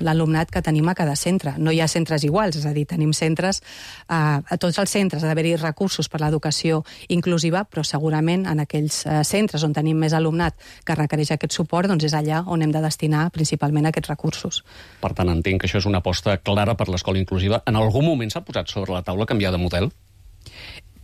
l'alumnat que tenim a cada centre. No hi ha centres iguals, és a dir, tenim centres, a tots els centres ha d'haver-hi recursos per l'educació inclusiva, però segurament en aquells centres on tenim més alumnat que requereix aquest suport, és allà on hem de destinar principalment aquests recursos. Per tant, entenc que això és una aposta clara per l'escola inclusiva. En algun moment s'ha posat sobre la taula canviar de model?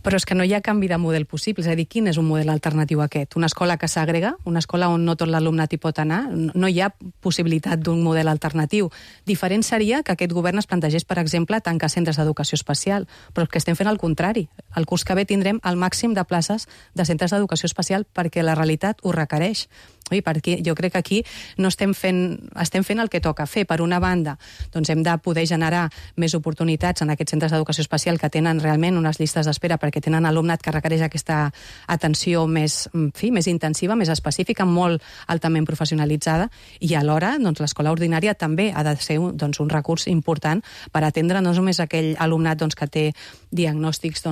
Però és que no hi ha canvi de model possible. És a dir, quin és un model alternatiu a aquest? Una escola que s'agrega? Una escola on no tot l'alumnat hi pot anar? No hi ha possibilitat d'un model alternatiu. Diferent seria que aquest govern es plantegés, per exemple, tancar centres d'educació especial. Però és que estem fent el contrari. El curs que ve tindrem el màxim de places de centres d'educació especial perquè la realitat ho requereix. Perquè jo crec que aquí no estem fent el que toca fer. Per una banda, hem de poder generar més oportunitats en aquests centres d'educació especial que tenen realment unes llistes d'espera perquè perquè tenen alumnat que requereix aquesta atenció més intensiva, més específica, molt altament professionalitzada, i alhora l'escola ordinària també ha de ser un recurs important per atendre no només aquell alumnat que té diagnòstics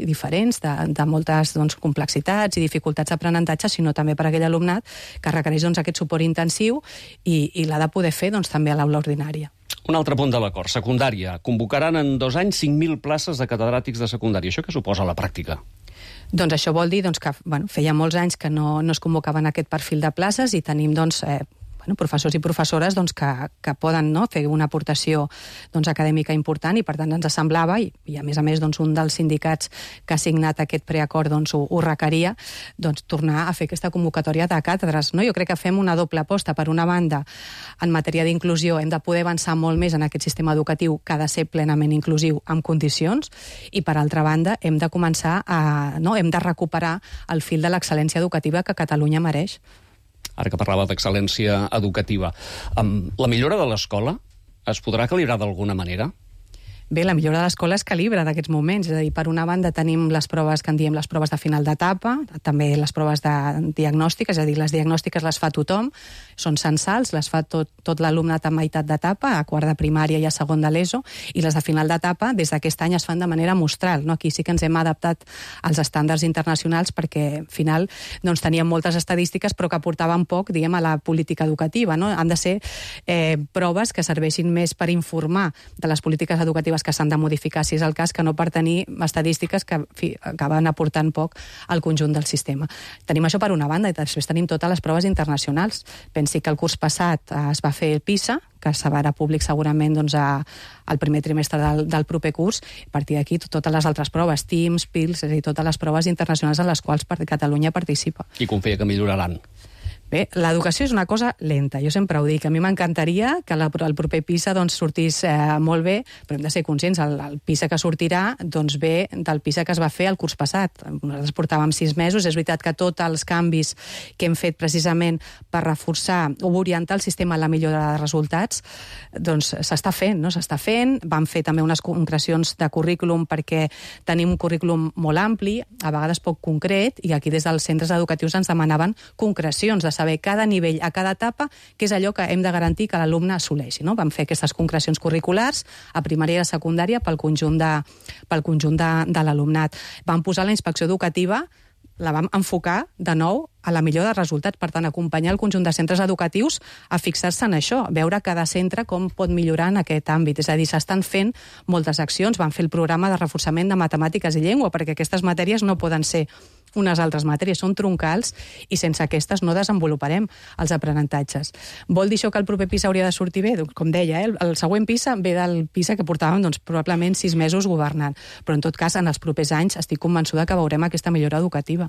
diferents, de moltes complexitats i dificultats d'aprenentatge, sinó també per aquell alumnat que requereix aquest suport intensiu i l'ha de poder fer també a l'aula ordinària. Un altre punt de l'acord, secundària. Convocaran en 2 anys 5.000 places de catedràtics de secundària. Això què suposa a la pràctica? Doncs això vol dir que feia molts anys que no es convocaven aquest perfil de places i tenim professors i professores que poden fer una aportació acadèmica important, i per tant ens semblava, i a més un dels sindicats que ha signat aquest preacord ho requeria, tornar a fer aquesta convocatòria de càtedres. Jo crec que fem una doble aposta. Per una banda, en matèria d'inclusió hem de poder avançar molt més en aquest sistema educatiu que ha de ser plenament inclusiu amb condicions, i per altra banda hem de començar hem de recuperar el fil de l'excel·lència educativa que Catalunya mereix. Ara que parlava d'excel·lència educativa, la millora de l'escola es podrà calibrar d'alguna manera? Bé, la millora de l'escola es calibra d'aquests moments. És a dir, per una banda tenim les proves que en diem les proves de final d'etapa, també les proves de diagnòstic, és a dir, les diagnòstiques les fa tothom, són censals, les fa tot l'alumnat a meitat d'etapa, a quart de primària i a segon de l'ESO, i les de final d'etapa des d'aquest any es fan de manera mostral. Aquí sí que ens hem adaptat als estàndards internacionals perquè, al final, teníem moltes estadístiques però que aportaven poc, a la política educativa. Han de ser proves que serveixin més per informar de les polítiques educatives que s'han de modificar, si és el cas, que no per tenir estadístiques que acaben aportant poc al conjunt del sistema. Tenim això per una banda, i després tenim totes les proves internacionals. Pensi que el curs passat es va fer el PISA, que serà públic segurament al primer trimestre del proper curs. A partir d'aquí, totes les altres proves, TIMSS, PILS, és a dir, totes les proves internacionals en les quals Catalunya participa. I confia que milloraran. Bé, l'educació és una cosa lenta, jo sempre ho dic. A mi m'encantaria que el proper PISA sortís molt bé, però hem de ser conscients, el PISA que sortirà ve del PISA que es va fer el curs passat. Nosaltres portàvem 6 mesos, és veritat que tots els canvis que hem fet precisament per reforçar o orientar el sistema a la millora de resultats, s'està fent, no? S'està fent. Vam fer també unes concrecions de currículum perquè tenim un currículum molt ampli, a vegades poc concret, i aquí des dels centres educatius ens demanaven concrecions de saber cada nivell, a cada etapa, què és allò que hem de garantir que l'alumne assoleixi. Vam fer aquestes concrecions curriculars a primària i a secundària pel conjunt de l'alumnat. Vam posar la inspecció educativa, la vam enfocar de nou a la millora de resultats, per tant, acompanyar el conjunt de centres educatius a fixar-se en això, veure cada centre com pot millorar en aquest àmbit. És a dir, s'estan fent moltes accions, van fer el programa de reforçament de matemàtiques i llengua, perquè aquestes matèries no poden ser unes altres matèries, són troncals, i sense aquestes no desenvoluparem els aprenentatges. Vol dir això que el proper PISA hauria de sortir bé? Com deia, el següent PISA ve del PISA que portàvem probablement 6 mesos governant, però en tot cas en els propers anys estic convençuda que veurem aquesta millora educativa.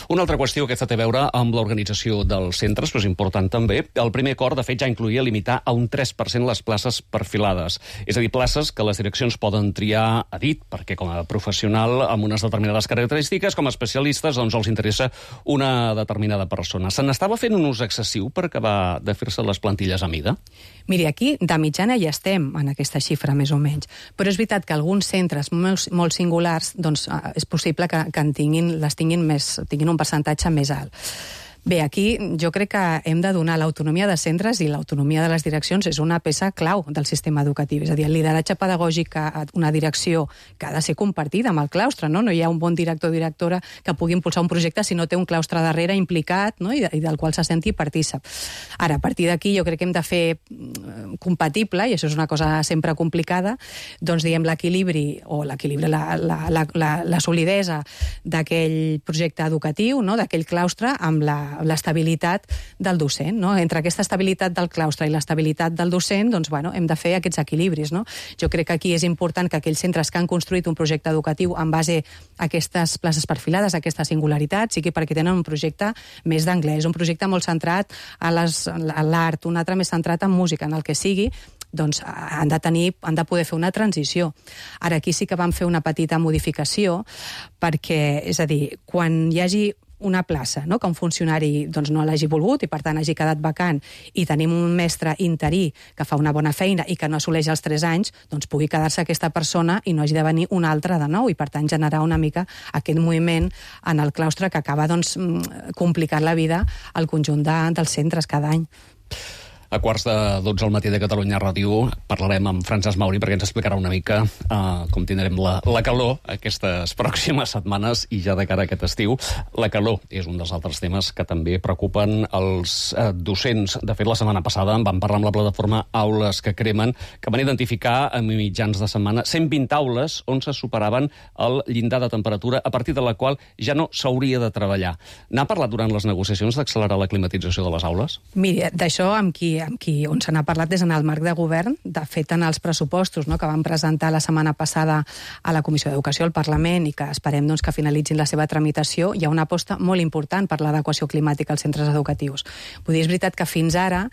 Una altra qüestió, aquesta té a veure amb l'organització dels centres, però és important també. El primer acord, de fet, ja incloïa limitar a un 3% les places perfilades. És a dir, places que les direccions poden triar a dit, perquè com a professional amb unes determinades característiques, com a especialistes, els interessa una determinada persona. Se n'estava fent un ús excessiu per acabar de fer-se les plantilles a mida? Miri, aquí de mitjana ja estem en aquesta xifra, més o menys. Però és veritat que alguns centres molt singulars és possible que tinguin un percentatge més alt. Bé, aquí jo crec que hem de donar l'autonomia de centres i l'autonomia de les direccions és una peça clau del sistema educatiu. És a dir, el lideratge pedagògic a una direcció que ha de ser compartida amb el claustre, no? No hi ha un bon director o directora que pugui impulsar un projecte si no té un claustre darrere implicat, no? I del qual se senti partícip. Ara, a partir d'aquí jo crec que hem de fer compatible, i això és una cosa sempre complicada, l'equilibri o la solidesa d'aquell projecte educatiu, no? D'aquell claustre, amb l'estabilitat del docent, no? Entre aquesta estabilitat del claustre i l'estabilitat del docent, hem de fer aquests equilibris, no? Jo crec que aquí és important que aquells centres que han construït un projecte educatiu en base a aquestes places perfilades, a aquesta singularitat, sigui perquè tenen un projecte més d'anglès, un projecte molt centrat a l'art, un altre més centrat en música, en el que sigui, han de poder fer una transició. Ara, aquí sí que vam fer una petita modificació perquè, és a dir, quan hi hagi una plaça, no? Que un funcionari doncs, no l'hagi volgut i per tant hagi quedat vacant, i tenim un mestre interí que fa una bona feina i que no assoleix els 3 anys, doncs pugui quedar-se aquesta persona i no hagi de venir un altre de nou, i per tant generar una mica aquest moviment en el claustre que acaba doncs, complicant la vida al conjunt dels centres cada any. A 11:45 al matí de Catalunya Ràdio parlarem amb Francesc Mauri perquè ens explicarà una mica com tindrem la calor aquestes pròximes setmanes i ja de cara a aquest estiu. La calor és un dels altres temes que també preocupen els docents. De fet, la setmana passada en vam parlar amb la plataforma Aules que Cremen, que van identificar a mitjans de setmana 120 aules on se superaven el llindar de temperatura a partir de la qual ja no s'hauria de treballar. N'ha parlat durant les negociacions d'accelerar la climatització de les aules? Miri, d'això on se n'ha parlat és en el marc de govern. De fet, en els pressupostos, no, que van presentar la setmana passada a la Comissió d'Educació al Parlament i que esperem doncs, que finalitzin la seva tramitació, hi ha una aposta molt important per l'adequació climàtica als centres educatius. Vull dir, és veritat que fins ara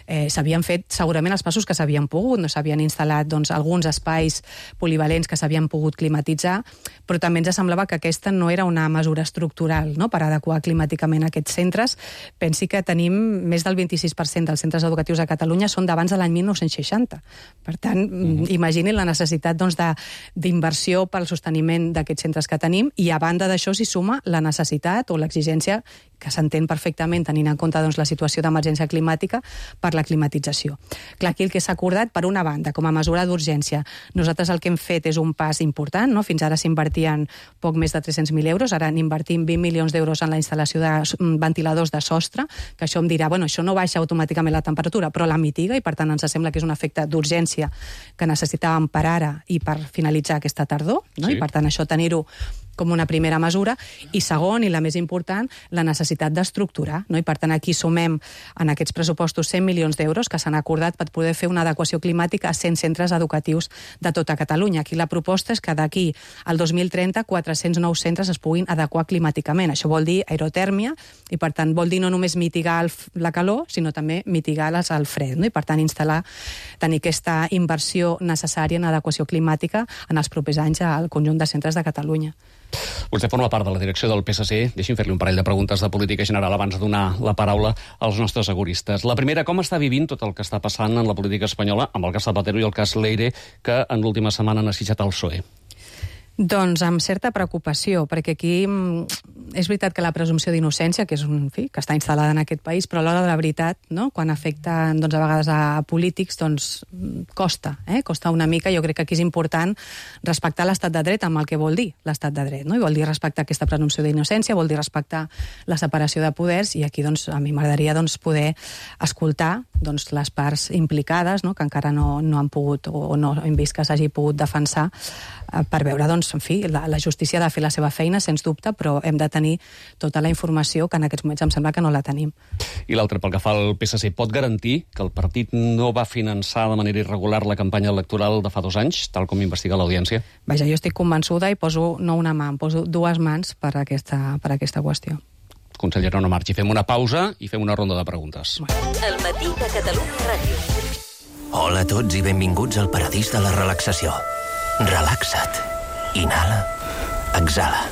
s'havien fet segurament els passos que s'havien pogut, no s'havien instal·lat doncs, alguns espais polivalents que s'havien pogut climatitzar, però també ens semblava que aquesta no era una mesura estructural, no, per adequar climàticament aquests centres. Pensi que tenim més del 26% dels centres educatius a Catalunya són d'abans de l'any 1960. Per tant, imaginin la necessitat doncs, d'inversió pel sosteniment d'aquests centres que tenim, i a banda d'això s'hi suma la necessitat o l'exigència que s'entén perfectament tenint en compte doncs, la situació d'emergència climàtica per la climatització. Clar, aquí el que s'ha acordat, per una banda, com a mesura d'urgència, nosaltres el que hem fet és un pas important, no? Fins ara s'invertien poc més de 300.000 euros, ara n'invertim 20 milions d'euros en la instal·lació de ventiladors de sostre, que això em dirà, bueno, això no baixa automàticament la temperatura, però la mitiga, i per tant ens sembla que és un efecte d'urgència que necessitàvem per ara i per finalitzar aquesta tardor, no? Sí. I per tant això tenir-ho com una primera mesura, i segon, i la més important, la necessitat d'estructurar, no? I per tant aquí sumem en aquests pressupostos 100 milions d'euros que s'han acordat per poder fer una adequació climàtica a 100 centres educatius de tota Catalunya. Aquí la proposta és que d'aquí al 2030 400 nous centres es puguin adequar climàticament. Això vol dir aerotèrmia, i per tant vol dir no només mitigar la calor, sinó també mitigar el fred, no? I per tant tenir aquesta inversió necessària en adequació climàtica en els propers anys al conjunt de centres de Catalunya. Vostè forma part de la direcció del PSC. Deixi'm fer-li un parell de preguntes de política general abans de donar la paraula als nostres seguristes. La primera, com està vivint tot el que està passant en la política espanyola amb el cas Zapatero i el cas Leire, que en l'última setmana han assitjat el PSOE? Doncs amb certa preocupació, perquè aquí és veritat que la presumpció d'innocència, que és que està instal·lada en aquest país, però a l'hora de la veritat, no? Quan afecta doncs, a vegades a polítics, doncs costa una mica. Jo crec que aquí és important respectar l'estat de dret amb el que vol dir l'estat de dret, no? I vol dir respectar aquesta presumpció d'innocència, vol dir respectar la separació de poders, i aquí doncs, a mi m'agradaria doncs, poder escoltar doncs, les parts implicades, no? Que encara no han pogut o no hem vist que s'hagi pogut defensar, per veure, doncs, en fi, la justícia ha de fer la seva feina, sens dubte, però hem de tenir tota la informació que en aquests moments em sembla que no la tenim. I l'altre, pel que fa al PSC, pot garantir que el partit no va finançar de manera irregular la campanya electoral de fa 2 anys, tal com investiga l'Audiència? Vaja, jo estic convençuda i poso no una mà, em poso 2 mans per aquesta qüestió. Consellera, no marxi. Fem una pausa i fem una ronda de preguntes. El matí de Catalunya Ràdio. Hola a tots i benvinguts al paradís de la relaxació. Relaxa't. Inhala. Exhala.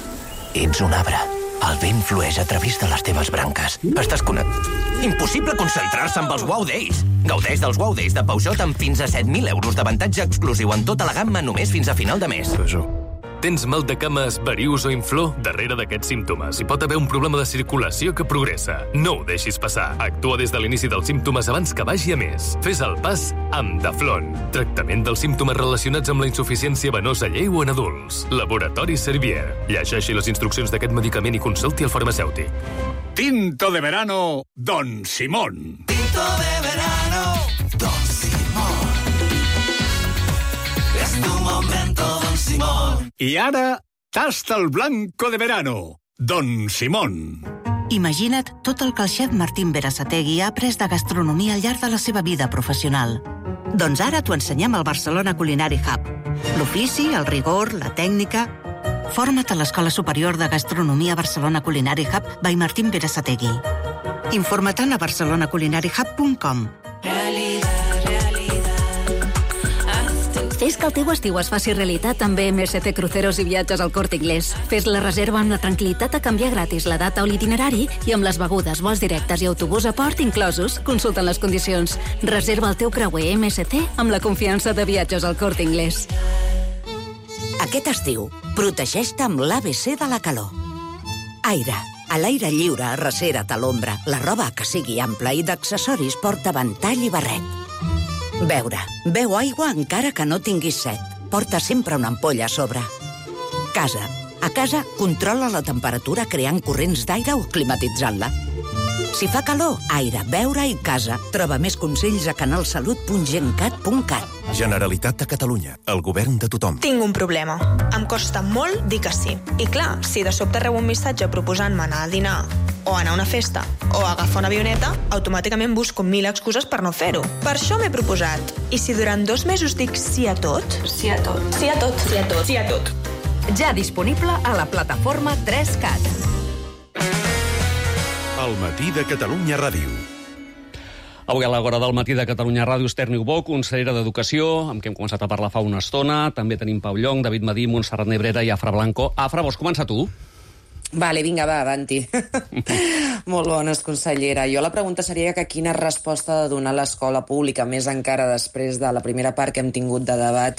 Ets un arbre. El vent flueix a través de les teves branques. Estàs Impossible concentrar-se amb els Wow Days. Gaudeix dels Wow Days de Peugeot amb fins a 7.000 euros d'avantatge exclusiu en tota la gamma només fins a final de mes. Tens mal de cames, varius o inflor? Darrere d'aquests símptomes hi pot haver un problema de circulació que progressa. No ho deixis passar. Actua des de l'inici dels símptomes abans que vagi a més. Fes el pas amb Daflon. Tractament dels símptomes relacionats amb la insuficiència venosa lleu en adults. Laboratori Servier. Llegeixi les instruccions d'aquest medicament i consulti el farmacèutic. Tinto de verano, Don Simón. Tinto de verano, Don Simón. Es tu momento, Don Simón. I ara, tasta el blanco de verano, Don Simón. Imagina't tot el que el xef Martín Berasategui ha après de gastronomia al llarg de la seva vida professional. Doncs ara t'ho ensenyem al Barcelona Culinary Hub. L'ofici, el rigor, la tècnica... Forma't a l'Escola Superior de Gastronomia Barcelona Culinary Hub by Martín Berasategui. Informa-te'n a barcelonaculinariehub.com. Fes Fes que el teu estiu es faci realitat amb MSC Cruceros i Viatges al Corte Inglés. Fes la reserva amb la tranquil·litat a canviar gratis la data o l'itinerari i amb les begudes, vols directes i autobús a port inclosos. Consulta les condicions. Reserva el teu creuer MSC amb la confiança de Viatges al Corte Inglés. Aquest estiu, protegeix-te amb l'ABC de la calor. Aire. A l'aire lliure, recera't a l'ombra. La roba que sigui ampla i d'accessoris porta ventall i barret. Beure. Beu aigua encara que no tinguis set. Porta sempre una ampolla a sobre. Casa. A casa, controla la temperatura creant corrents d'aire o climatitzant-la. Si fa calor, aire, beure i casa. Troba més consells a canalsalut.gencat.cat. Generalitat de Catalunya. El govern de tothom. Tinc un problema. Em costa molt dir que sí. I clar, si de sobte rebo un missatge proposant-me anar a dinar o anar a una festa o agafar una avioneta, automàticament busco 1000 excuses per no fer-ho. Per això m'he proposat. I si durant 2 mesos dic sí a tot? Sí a tot. Sí a tot. Sí a tot. Sí a tot. Ja disponible a la plataforma 3CAT. El matí de Catalunya Ràdio. Avui a l'hora del matí de Catalunya Ràdio, Esther Niubó, consellera d'Educació, amb qui hem començat a parlar fa una estona. També tenim Pau Llong, David Madí, Montserrat Nebrera i Afra Blanco. Afra, vols començar tu? Vale, vinga, va, avanti. Molt bones, consellera. Jo la pregunta seria que quina resposta ha de donar l'escola pública, més encara després de la primera part que hem tingut de debat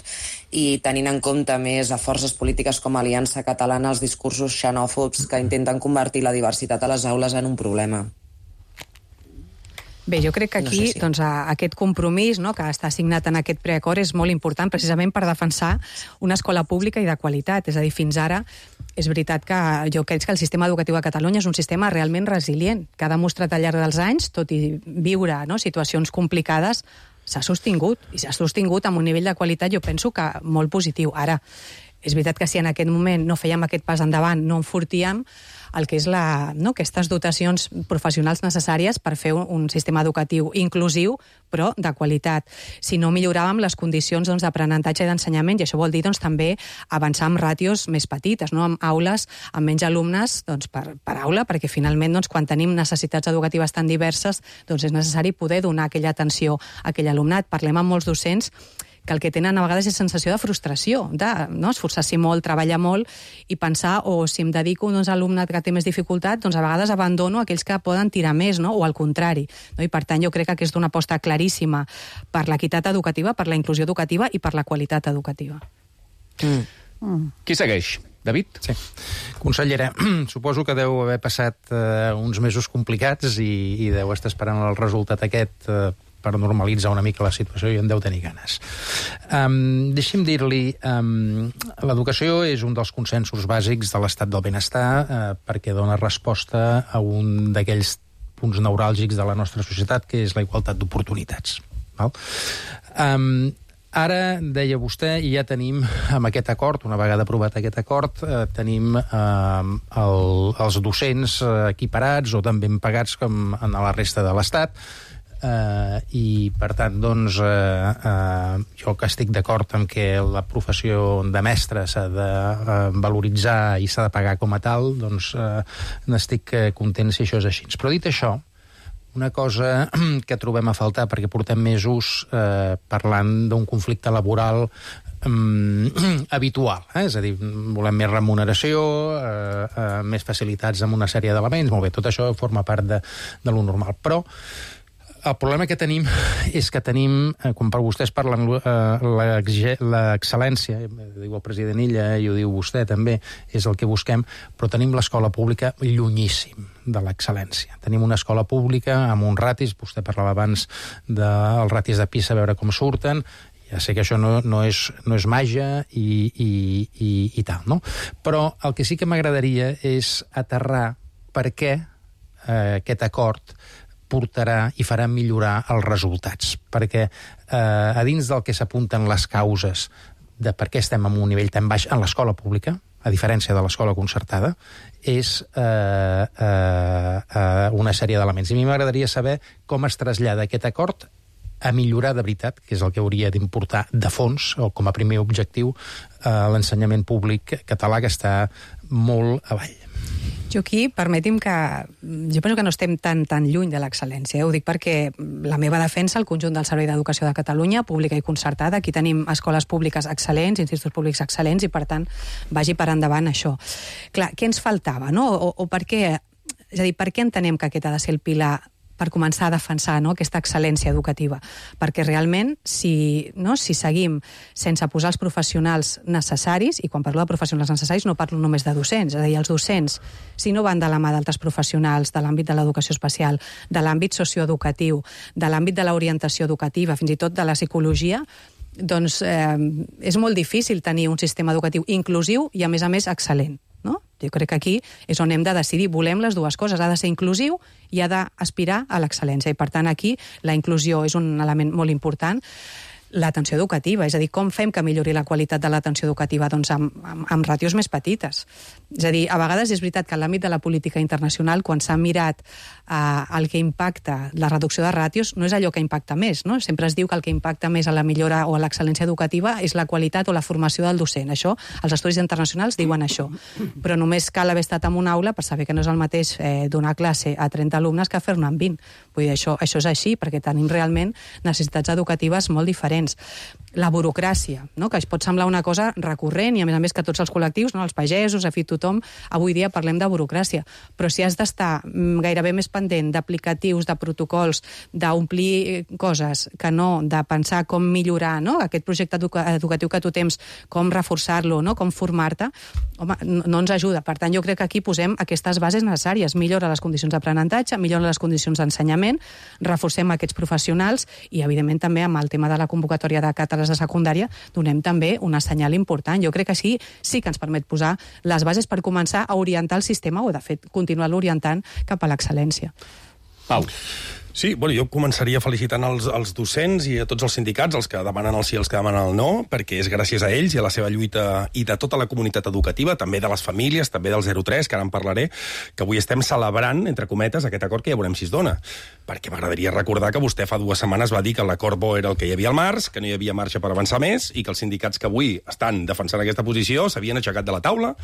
i tenint en compte més a forces polítiques com Aliança Catalana els discursos xenòfobs que intenten convertir la diversitat a les aules en un problema. Bé, jo crec que aquí aquest compromís que està assignat en aquest preacord és molt important precisament per defensar una escola pública i de qualitat. És a dir, fins ara és veritat que jo crec que el sistema educatiu a Catalunya és un sistema realment resilient, que ha demostrat al llarg dels anys, tot i viure situacions complicades, s'ha sostingut, i s'ha sostingut amb un nivell de qualitat, jo penso que molt positiu. Ara, és veritat que si en aquest moment no fèiem aquest pas endavant, no enfortíem el que és aquestes dotacions professionals necessàries per fer un sistema educatiu inclusiu, però de qualitat. Si no milloràvem les condicions d'aprenentatge i d'ensenyament, i això vol dir també avançar amb ràtios més petites, amb aules amb menys alumnes per aula, perquè finalment quan tenim necessitats educatives tan diverses és necessari poder donar aquella atenció a aquell alumnat. Parlem amb molts docents que el que tenen a vegades és sensació de frustració, esforçar-s'hi molt, treballar molt i pensar, si em dedico a alumnat que té més dificultat, a vegades abandono aquells que poden tirar més, o al contrari. I per tant jo crec que aquesta és una aposta claríssima per l'equitat educativa, per la inclusió educativa i per la qualitat educativa. Qui segueix? David? Sí. Consellera, suposo que deu haver passat uns mesos complicats i deu estar esperant el resultat aquest per normalitzar una mica la situació i en deu tenir ganes. Deixi'm dir-li, l'educació és un dels consensos bàsics de l'estat del benestar perquè dona resposta a un d'aquells punts neuràlgics de la nostra societat, que és la igualtat d'oportunitats. Ara, deia vostè, i ja tenim amb aquest acord, una vegada aprovat aquest acord, tenim els docents equiparats o tan ben pagats com en la resta de l'Estat, i per tant jo que estic d'acord en que la professió de mestre s'ha de valoritzar i s'ha de pagar com a tal, n'estic content si això és així. Però dit això, una cosa que trobem a faltar, perquè portem mesos parlant d'un conflicte laboral habitual, és a dir, volem més remuneració, més facilitats amb una sèrie d'elements, molt bé, tot això forma part de lo normal, però el problema que tenim és que tenim, quan per vostès parlen l'excel·lència, diu el president Illa i ho diu vostè també, és el que busquem, però tenim l'escola pública llunyíssim de l'excel·lència. Tenim una escola pública amb uns ratis, vostè parlava abans dels ratis de PISA, a veure com surten, ja sé que això no és màgia i tal, no? Però el que sí que m'agradaria és aterrar per què aquest acord portarà i farà millorar els resultats. Perquè a dins del que s'apunten les causes de per què estem en un nivell tan baix en l'escola pública, a diferència de l'escola concertada, és una sèrie d'elements. I a mi m'agradaria saber com es trasllada aquest acord a millorar de veritat, que és el que hauria d'importar de fons, o com a primer objectiu, l'ensenyament públic català, que està molt avall. Jo aquí, permeti'm que... Jo penso que no estem tan lluny de l'excel·lència. Ho dic perquè la meva defensa, el conjunt del Servei d'Educació de Catalunya, pública i concertada, aquí tenim escoles públiques excel·lents, instituts públics excel·lents, i per tant vagi per endavant això. Clar, què ens faltava, no? O per què... És a dir, per què entenem que aquest ha de ser el pilar per començar a defensar, no, aquesta excel·lència educativa? Perquè realment, si seguim sense posar els professionals necessaris, i quan parlo de professionals necessaris no parlo només de docents, és a dir, els docents, si no van de la mà d'altres professionals de l'àmbit de l'educació especial, de l'àmbit socioeducatiu, de l'àmbit de l'orientació educativa, fins i tot de la psicologia, doncs és molt difícil tenir un sistema educatiu inclusiu i, a més excel·lent. No? Jo crec que aquí és on hem de decidir. Volem les dues coses. Ha de ser inclusiu i ha d'aspirar a l'excel·lència. I, per tant, aquí la inclusió és un element molt important. L'atenció educativa, és a dir, com fem que millori la qualitat de l'atenció educativa? Doncs amb ràtios més petites. És a dir, a vegades és veritat que en l'àmbit de la política internacional, quan s'ha mirat el que impacta la reducció de ràtios, no és allò que impacta més, no? Sempre es diu que el que impacta més a la millora o a l'excel·lència educativa és la qualitat o la formació del docent. Això, els estudis internacionals diuen això. Però només cal haver estat en una aula per saber que no és el mateix donar classe a 30 alumnes que fer-ne amb 20. Vull dir, això és així, perquè tenim realment necessitats educatives molt diferents. La burocràcia, no? Que es pot semblar una cosa recurrent i, a més que tots els col·lectius, no? Els pagesos, en fi, tothom, avui dia parlem de burocràcia. Però si has d'estar gairebé més pendent d'aplicatius, de protocols, d'omplir coses, que no de pensar com millorar, no? Aquest projecte educatiu que tu tens, com reforçar-lo, no? Com formar-te, home, no ens ajuda. Per tant, jo crec que aquí posem aquestes bases necessàries. Millora les condicions d'aprenentatge, millora les condicions d'ensenyament, reforcem aquests professionals i, evidentment, també amb el tema de la convocatòria de càtedres de secundària donem també una senyal important. Jo crec que sí que ens permet posar les bases per començar a orientar el sistema o, de fet, continuar-lo orientant cap a l'excel·lència. Pau. Sí, bueno, jo començaria felicitant els docents i a tots els sindicats, els que demanen el sí i els que demanen el no, perquè és gràcies a ells i a la seva lluita i de tota la comunitat educativa, també de les famílies, també del 03, que ara en parlaré, que avui estem celebrant, entre cometes, aquest acord que ja veurem si es dona. Perquè m'agradaria recordar que vostè fa 2 setmanes va dir que l'acord bo era el que hi havia al març, que no hi havia marge per avançar més i que els sindicats que avui estan defensant aquesta posició s'havien aixecat de la taula,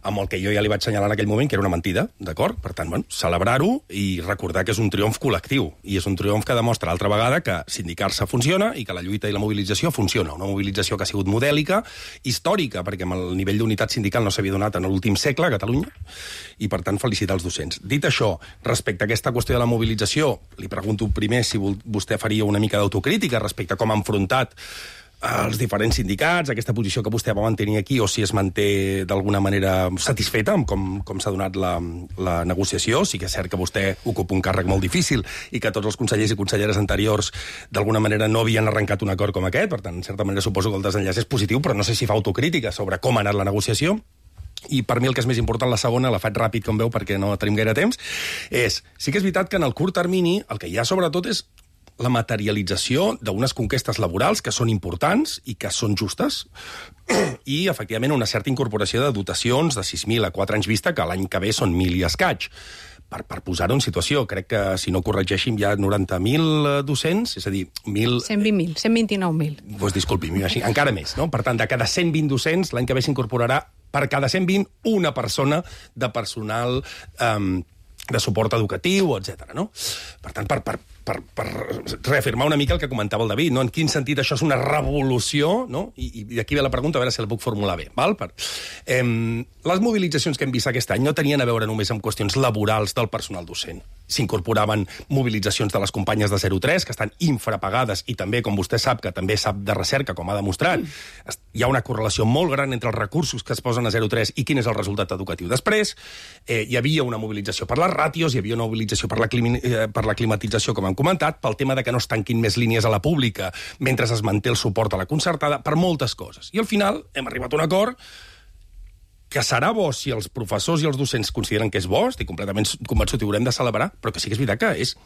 amb el que jo ja li vaig assenyalar en aquell moment que era una mentida, d'acord? Per tant, bueno, celebrar-ho i recordar que és un triomf col·lectiu. I és un triomf que demostra altra vegada que sindicar-se funciona i que la lluita i la mobilització funciona. Una mobilització que ha sigut modèlica, històrica, perquè amb el nivell d'unitat sindical no s'havia donat en l'últim segle a Catalunya, i per tant felicitar els docents. Dit això, respecte a aquesta qüestió de la mobilització, li pregunto primer si vostè faria una mica d'autocrítica respecte a com ha enfrontat els diferents sindicats, aquesta posició que vostè va mantenir aquí, o si es manté d'alguna manera satisfeta amb com s'ha donat la negociació. Sí que és cert que vostè ocupa un càrrec molt difícil i que tots els consellers i conselleres anteriors d'alguna manera no havien arrencat un acord com aquest, per tant, en certa manera suposo que el desenllaç és positiu, però no sé si fa autocrítica sobre com ha anat la negociació. I per mi el que és més important, la segona, la faig ràpid, com veu, perquè no tenim gaire temps, és, sí que és veritat que en el curt termini el que hi ha sobretot és la materialització d'unes conquestes laborals que són importants i que són justes i, efectivament, una certa incorporació de dotacions de 6.000 a 4 anys vista, que l'any que ve són 1.000 i escaig. Per posar-ho en situació, crec que, si no corregeixin, hi ha 90.000 docents, és a dir, 120.000, 129.000. Doncs disculpi, encara més, no? Per tant, de cada 120 docents, l'any que ve s'incorporarà per cada 120 una persona de personal de suport educatiu, etc. No? Per tant, per reafirmar una mica el que comentava el David, no? En quin sentit això és una revolució, no? I d'aquí ve la pregunta, a veure si la puc formular bé. Val? Les mobilitzacions que hem vist aquest any no tenien a veure només amb qüestions laborals del personal docent. S'incorporaven mobilitzacions de les companyes de 03, que estan infrapagades, i també, com vostè sap, que també sap de recerca, com ha demostrat, hi ha una correlació molt gran entre els recursos que es posen a 03 i quin és el resultat educatiu després. Hi havia una mobilització per les ràtios, hi havia una mobilització per la climatització, com hem comentat, pel tema de que no es tanquin més línies a la pública mentre es manté el suport a la concertada, per moltes coses. I al final hem arribat a un acord que serà bo si els professors i els docents consideren que és bo, estic completament convençut i ho haurem de celebrar, però que sí que és veritat que és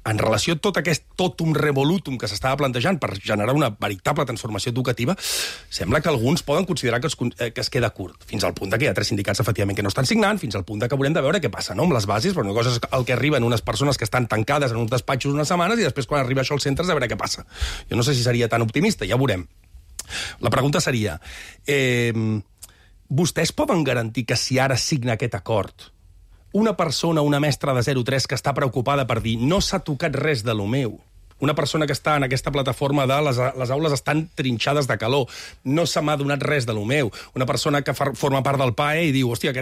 en relació a tot aquest totum revolutum que s'estava plantejant per generar una veritable transformació educativa, sembla que alguns poden considerar que es queda curt, fins al punt que hi ha 3 sindicats, efectivament, que no estan signant, fins al punt que haurem de veure què passa, no?, amb les bases, però una cosa és el que arriben unes persones que estan tancades en uns despatxos unes setmanes i després, quan arriba això als centres, a veure què passa. Jo no sé si seria tan optimista, ja ho veurem. La pregunta seria, vostès poden garantir que si ara signa aquest acord una persona, una mestra de 0-3 que està preocupada per dir no s'ha tocat res de lo meu. Una persona que està en aquesta plataforma de les aules estan trinxades de calor, no se m'ha donat res de lo meu. Una persona que forma part del PAE i diu, hòstia,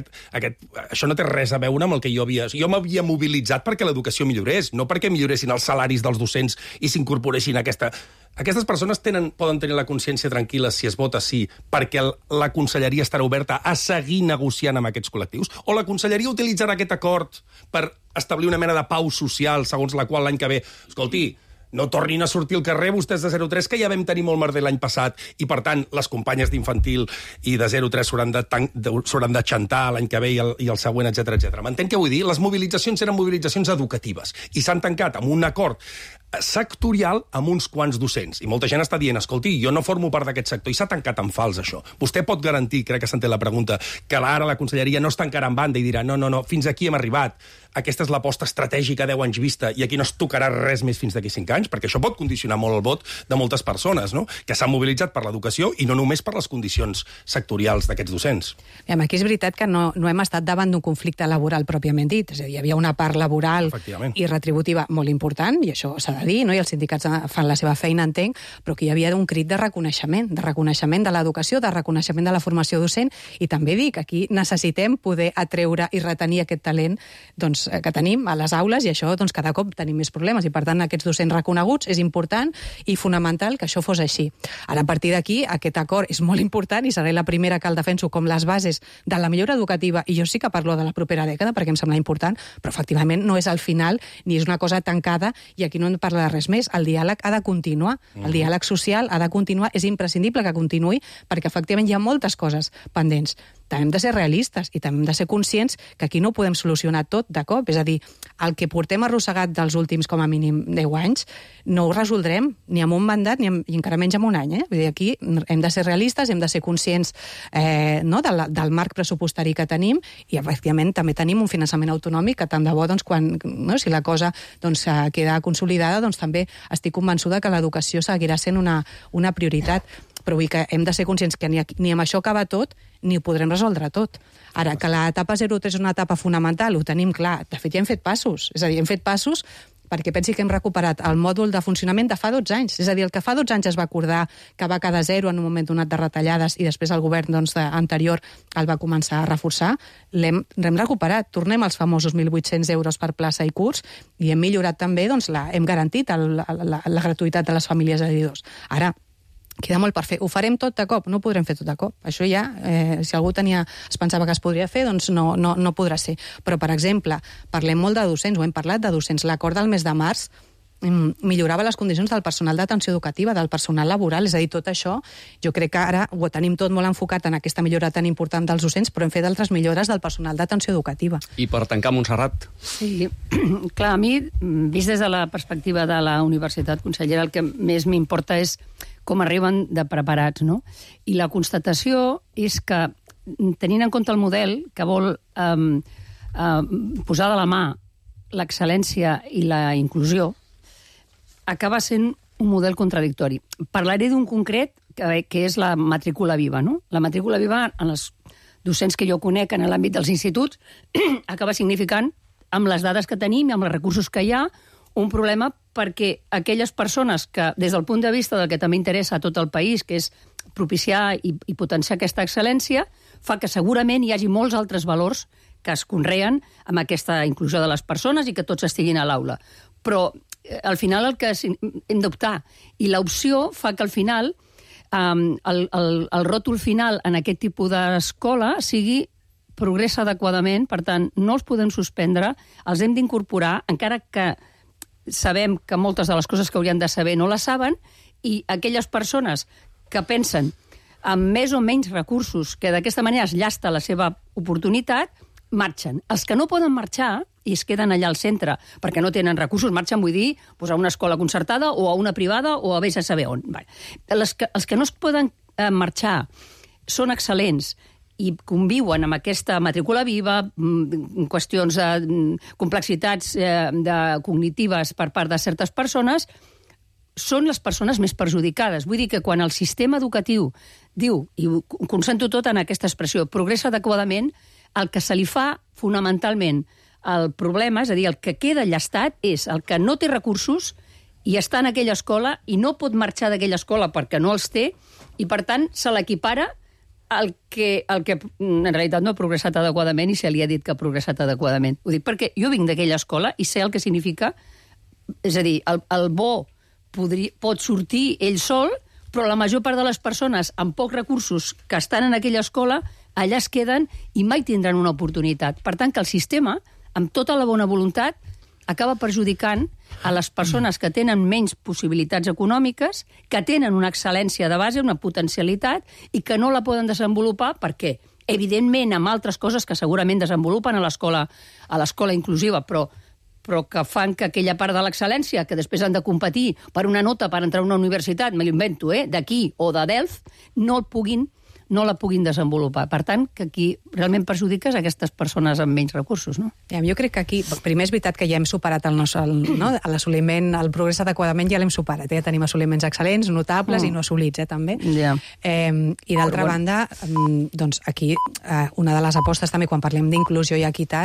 això no té res a veure amb el que jo havia... Jo m'havia mobilitzat perquè l'educació millorés, no perquè milloressin els salaris dels docents i s'incorporessin a aquesta... Aquestes persones poden tenir la consciència tranquil·la si es vota sí, perquè la conselleria estarà oberta a seguir negociant amb aquests col·lectius, o la conselleria utilitzarà aquest acord per establir una mena de pau social, segons la qual l'any que ve... Escolti, no tornin a sortir al carrer vostès de 0-3, que ja vam tenir molt merder l'any passat, i per tant les companyes d'infantil i de 0-3 s'hauran de xantar l'any que ve i el següent, etc. M'entén què vull dir? Les mobilitzacions eren mobilitzacions educatives i s'han tancat amb un acord sectorial amb uns quants docents. I molta gent està dient, escolti, jo no formo part d'aquest sector, i s'ha tancat en fals, això. Vostè pot garantir, crec que s'entén la pregunta, que ara la conselleria no es tancarà en banda i dirà, no, fins aquí hem arribat, aquesta és l'aposta estratègica a 10 anys vista i aquí no es tocarà res més fins d'aquí 5 anys, perquè això pot condicionar molt el vot de moltes persones, no?, que s'han mobilitzat per l'educació i no només per les condicions sectorials d'aquests docents. Aquí és veritat que no hem estat davant d'un conflicte laboral pròpiament dit, és a dir, hi havia una part laboral i retributiva molt important, i això s'ha de dir, no? I els sindicats fan la seva feina, entenc, però que hi havia un crit de reconeixement de l'educació, de reconeixement de la formació docent, i també dic, aquí necessitem poder atreure i retenir aquest talent que tenim a les aules, i això cada cop tenim més problemes, i per tant aquests docents reconeguts és important i fonamental que això fos així. Ara, a partir d'aquí, aquest acord és molt important i seré la primera que el defenso com les bases de la millora educativa, i jo sí que parlo de la propera dècada perquè em sembla important, però efectivament no és al final ni és una cosa tancada i aquí no en parla de res més. El diàleg ha de continuar, el diàleg social ha de continuar, és imprescindible que continuï perquè efectivament hi ha moltes coses pendents. També hem de ser realistes i també hem de ser conscients que aquí no ho podem solucionar tot de cop. És a dir, el que portem arrossegat dels últims com a mínim 10 anys no ho resoldrem ni amb un mandat i encara menys amb un any. Vull dir, aquí hem de ser realistes, hem de ser conscients del marc pressupostari que tenim i, efectivament, també tenim un finançament autonòmic que tant de bo, si la cosa queda consolidada, també estic convençuda que l'educació seguirà sent una prioritat. Però vull que hem de ser conscients que ni amb això acaba tot, ni ho podrem resoldre tot. Ara, que l'etapa 0-3 és una etapa fonamental, ho tenim clar. De fet, ja hem fet passos. És a dir, hem fet passos perquè pensi que hem recuperat el mòdul de funcionament de fa 12 anys. És a dir, el que fa 12 anys es va acordar que va quedar zero en un moment donat de retallades i després el govern anterior el va començar a reforçar, l'hem recuperat. Tornem als famosos 1.800 euros per plaça i curs i hem millorat també, hem garantit la gratuïtat de les famílies editors. Ara, queda molt per fer. Ho farem tot de cop? No ho podrem fer tot de cop. Això ja, si algú es pensava que es podria fer, doncs no podrà ser. Però, per exemple, parlem molt de docents, ho hem parlat de docents. L'acord del mes de març millorava les condicions del personal d'atenció educativa, del personal laboral, és a dir, tot això, jo crec que ara ho tenim tot molt enfocat en aquesta millora tan important dels docents, però hem fet altres millores del personal d'atenció educativa. I per tancar, Montserrat. Sí, clar, a mi, vist des de la perspectiva de la universitat, consellera, el que més m'importa és com arriben de preparats, no? I la constatació és que, tenint en compte el model que vol posar de la mà l'excel·lència i la inclusió, acaba sent un model contradictori. Parlaré d'un concret que és la matrícula viva, no? La matrícula viva, en els docents que jo conec en l'àmbit dels instituts, acaba significant, amb les dades que tenim i amb els recursos que hi ha, un problema perquè aquelles persones que, des del punt de vista del que també interessa a tot el país, que és propiciar i potenciar aquesta excel·lència, fa que segurament hi hagi molts altres valors que es conreen amb aquesta inclusió de les persones i que tots estiguin a l'aula. Però, al final, el que hem d'optar. I l'opció fa que, al final, el ròtol final en aquest tipus d'escola sigui progressa adequadament, per tant, no els podem suspendre, els hem d'incorporar, encara que sabem que moltes de les coses que haurien de saber no les saben, i aquelles persones que pensen amb més o menys recursos, que d'aquesta manera es llasta la seva oportunitat, marxen. Els que no poden marxar i es queden allà al centre perquè no tenen recursos, marxen, vull dir, a una escola concertada o a una privada o a vés a saber on. Els que no es poden marxar són excel·lents i conviuen amb aquesta matrícula viva, qüestions de complexitats cognitives per part de certes persones, són les persones més perjudicades. Vull dir que quan el sistema educatiu diu, i ho concentro tot en aquesta expressió, progressa adequadament, el que se li fa fonamentalment el problema, és a dir, el que queda llastat és el que no té recursos i està en aquella escola i no pot marxar d'aquella escola perquè no els té i, per tant, se l'equipara el que en realitat no ha progressat adequadament i se li ha dit que ha progressat adequadament. Ho dic perquè jo vinc d'aquella escola i sé el que significa, és a dir, el bo pot sortir ell sol, però la major part de les persones amb pocs recursos que estan en aquella escola allà es queden i mai tindran una oportunitat. Per tant, que el sistema, amb tota la bona voluntat, acaba perjudicant a les persones que tenen menys possibilitats econòmiques, que tenen una excel·lència de base, una potencialitat, i que no la poden desenvolupar perquè, evidentment, amb altres coses que segurament desenvolupen a l'escola inclusiva, però que fan que aquella part de l'excel·lència, que després han de competir per una nota per entrar a una universitat, me l'invento, d'aquí o de Delft, no la puguin desenvolupar. Per tant, que aquí realment perjudiques aquestes persones amb menys recursos, no? Jo crec que aquí, primer és veritat que ja hem superat l'assoliment, el progrés adequadament ja l'hem superat, ja tenim assoliments excel·lents, notables i no assolits, també. I d'altra banda, doncs aquí, una de les apostes també quan parlem d'inclusió i equitat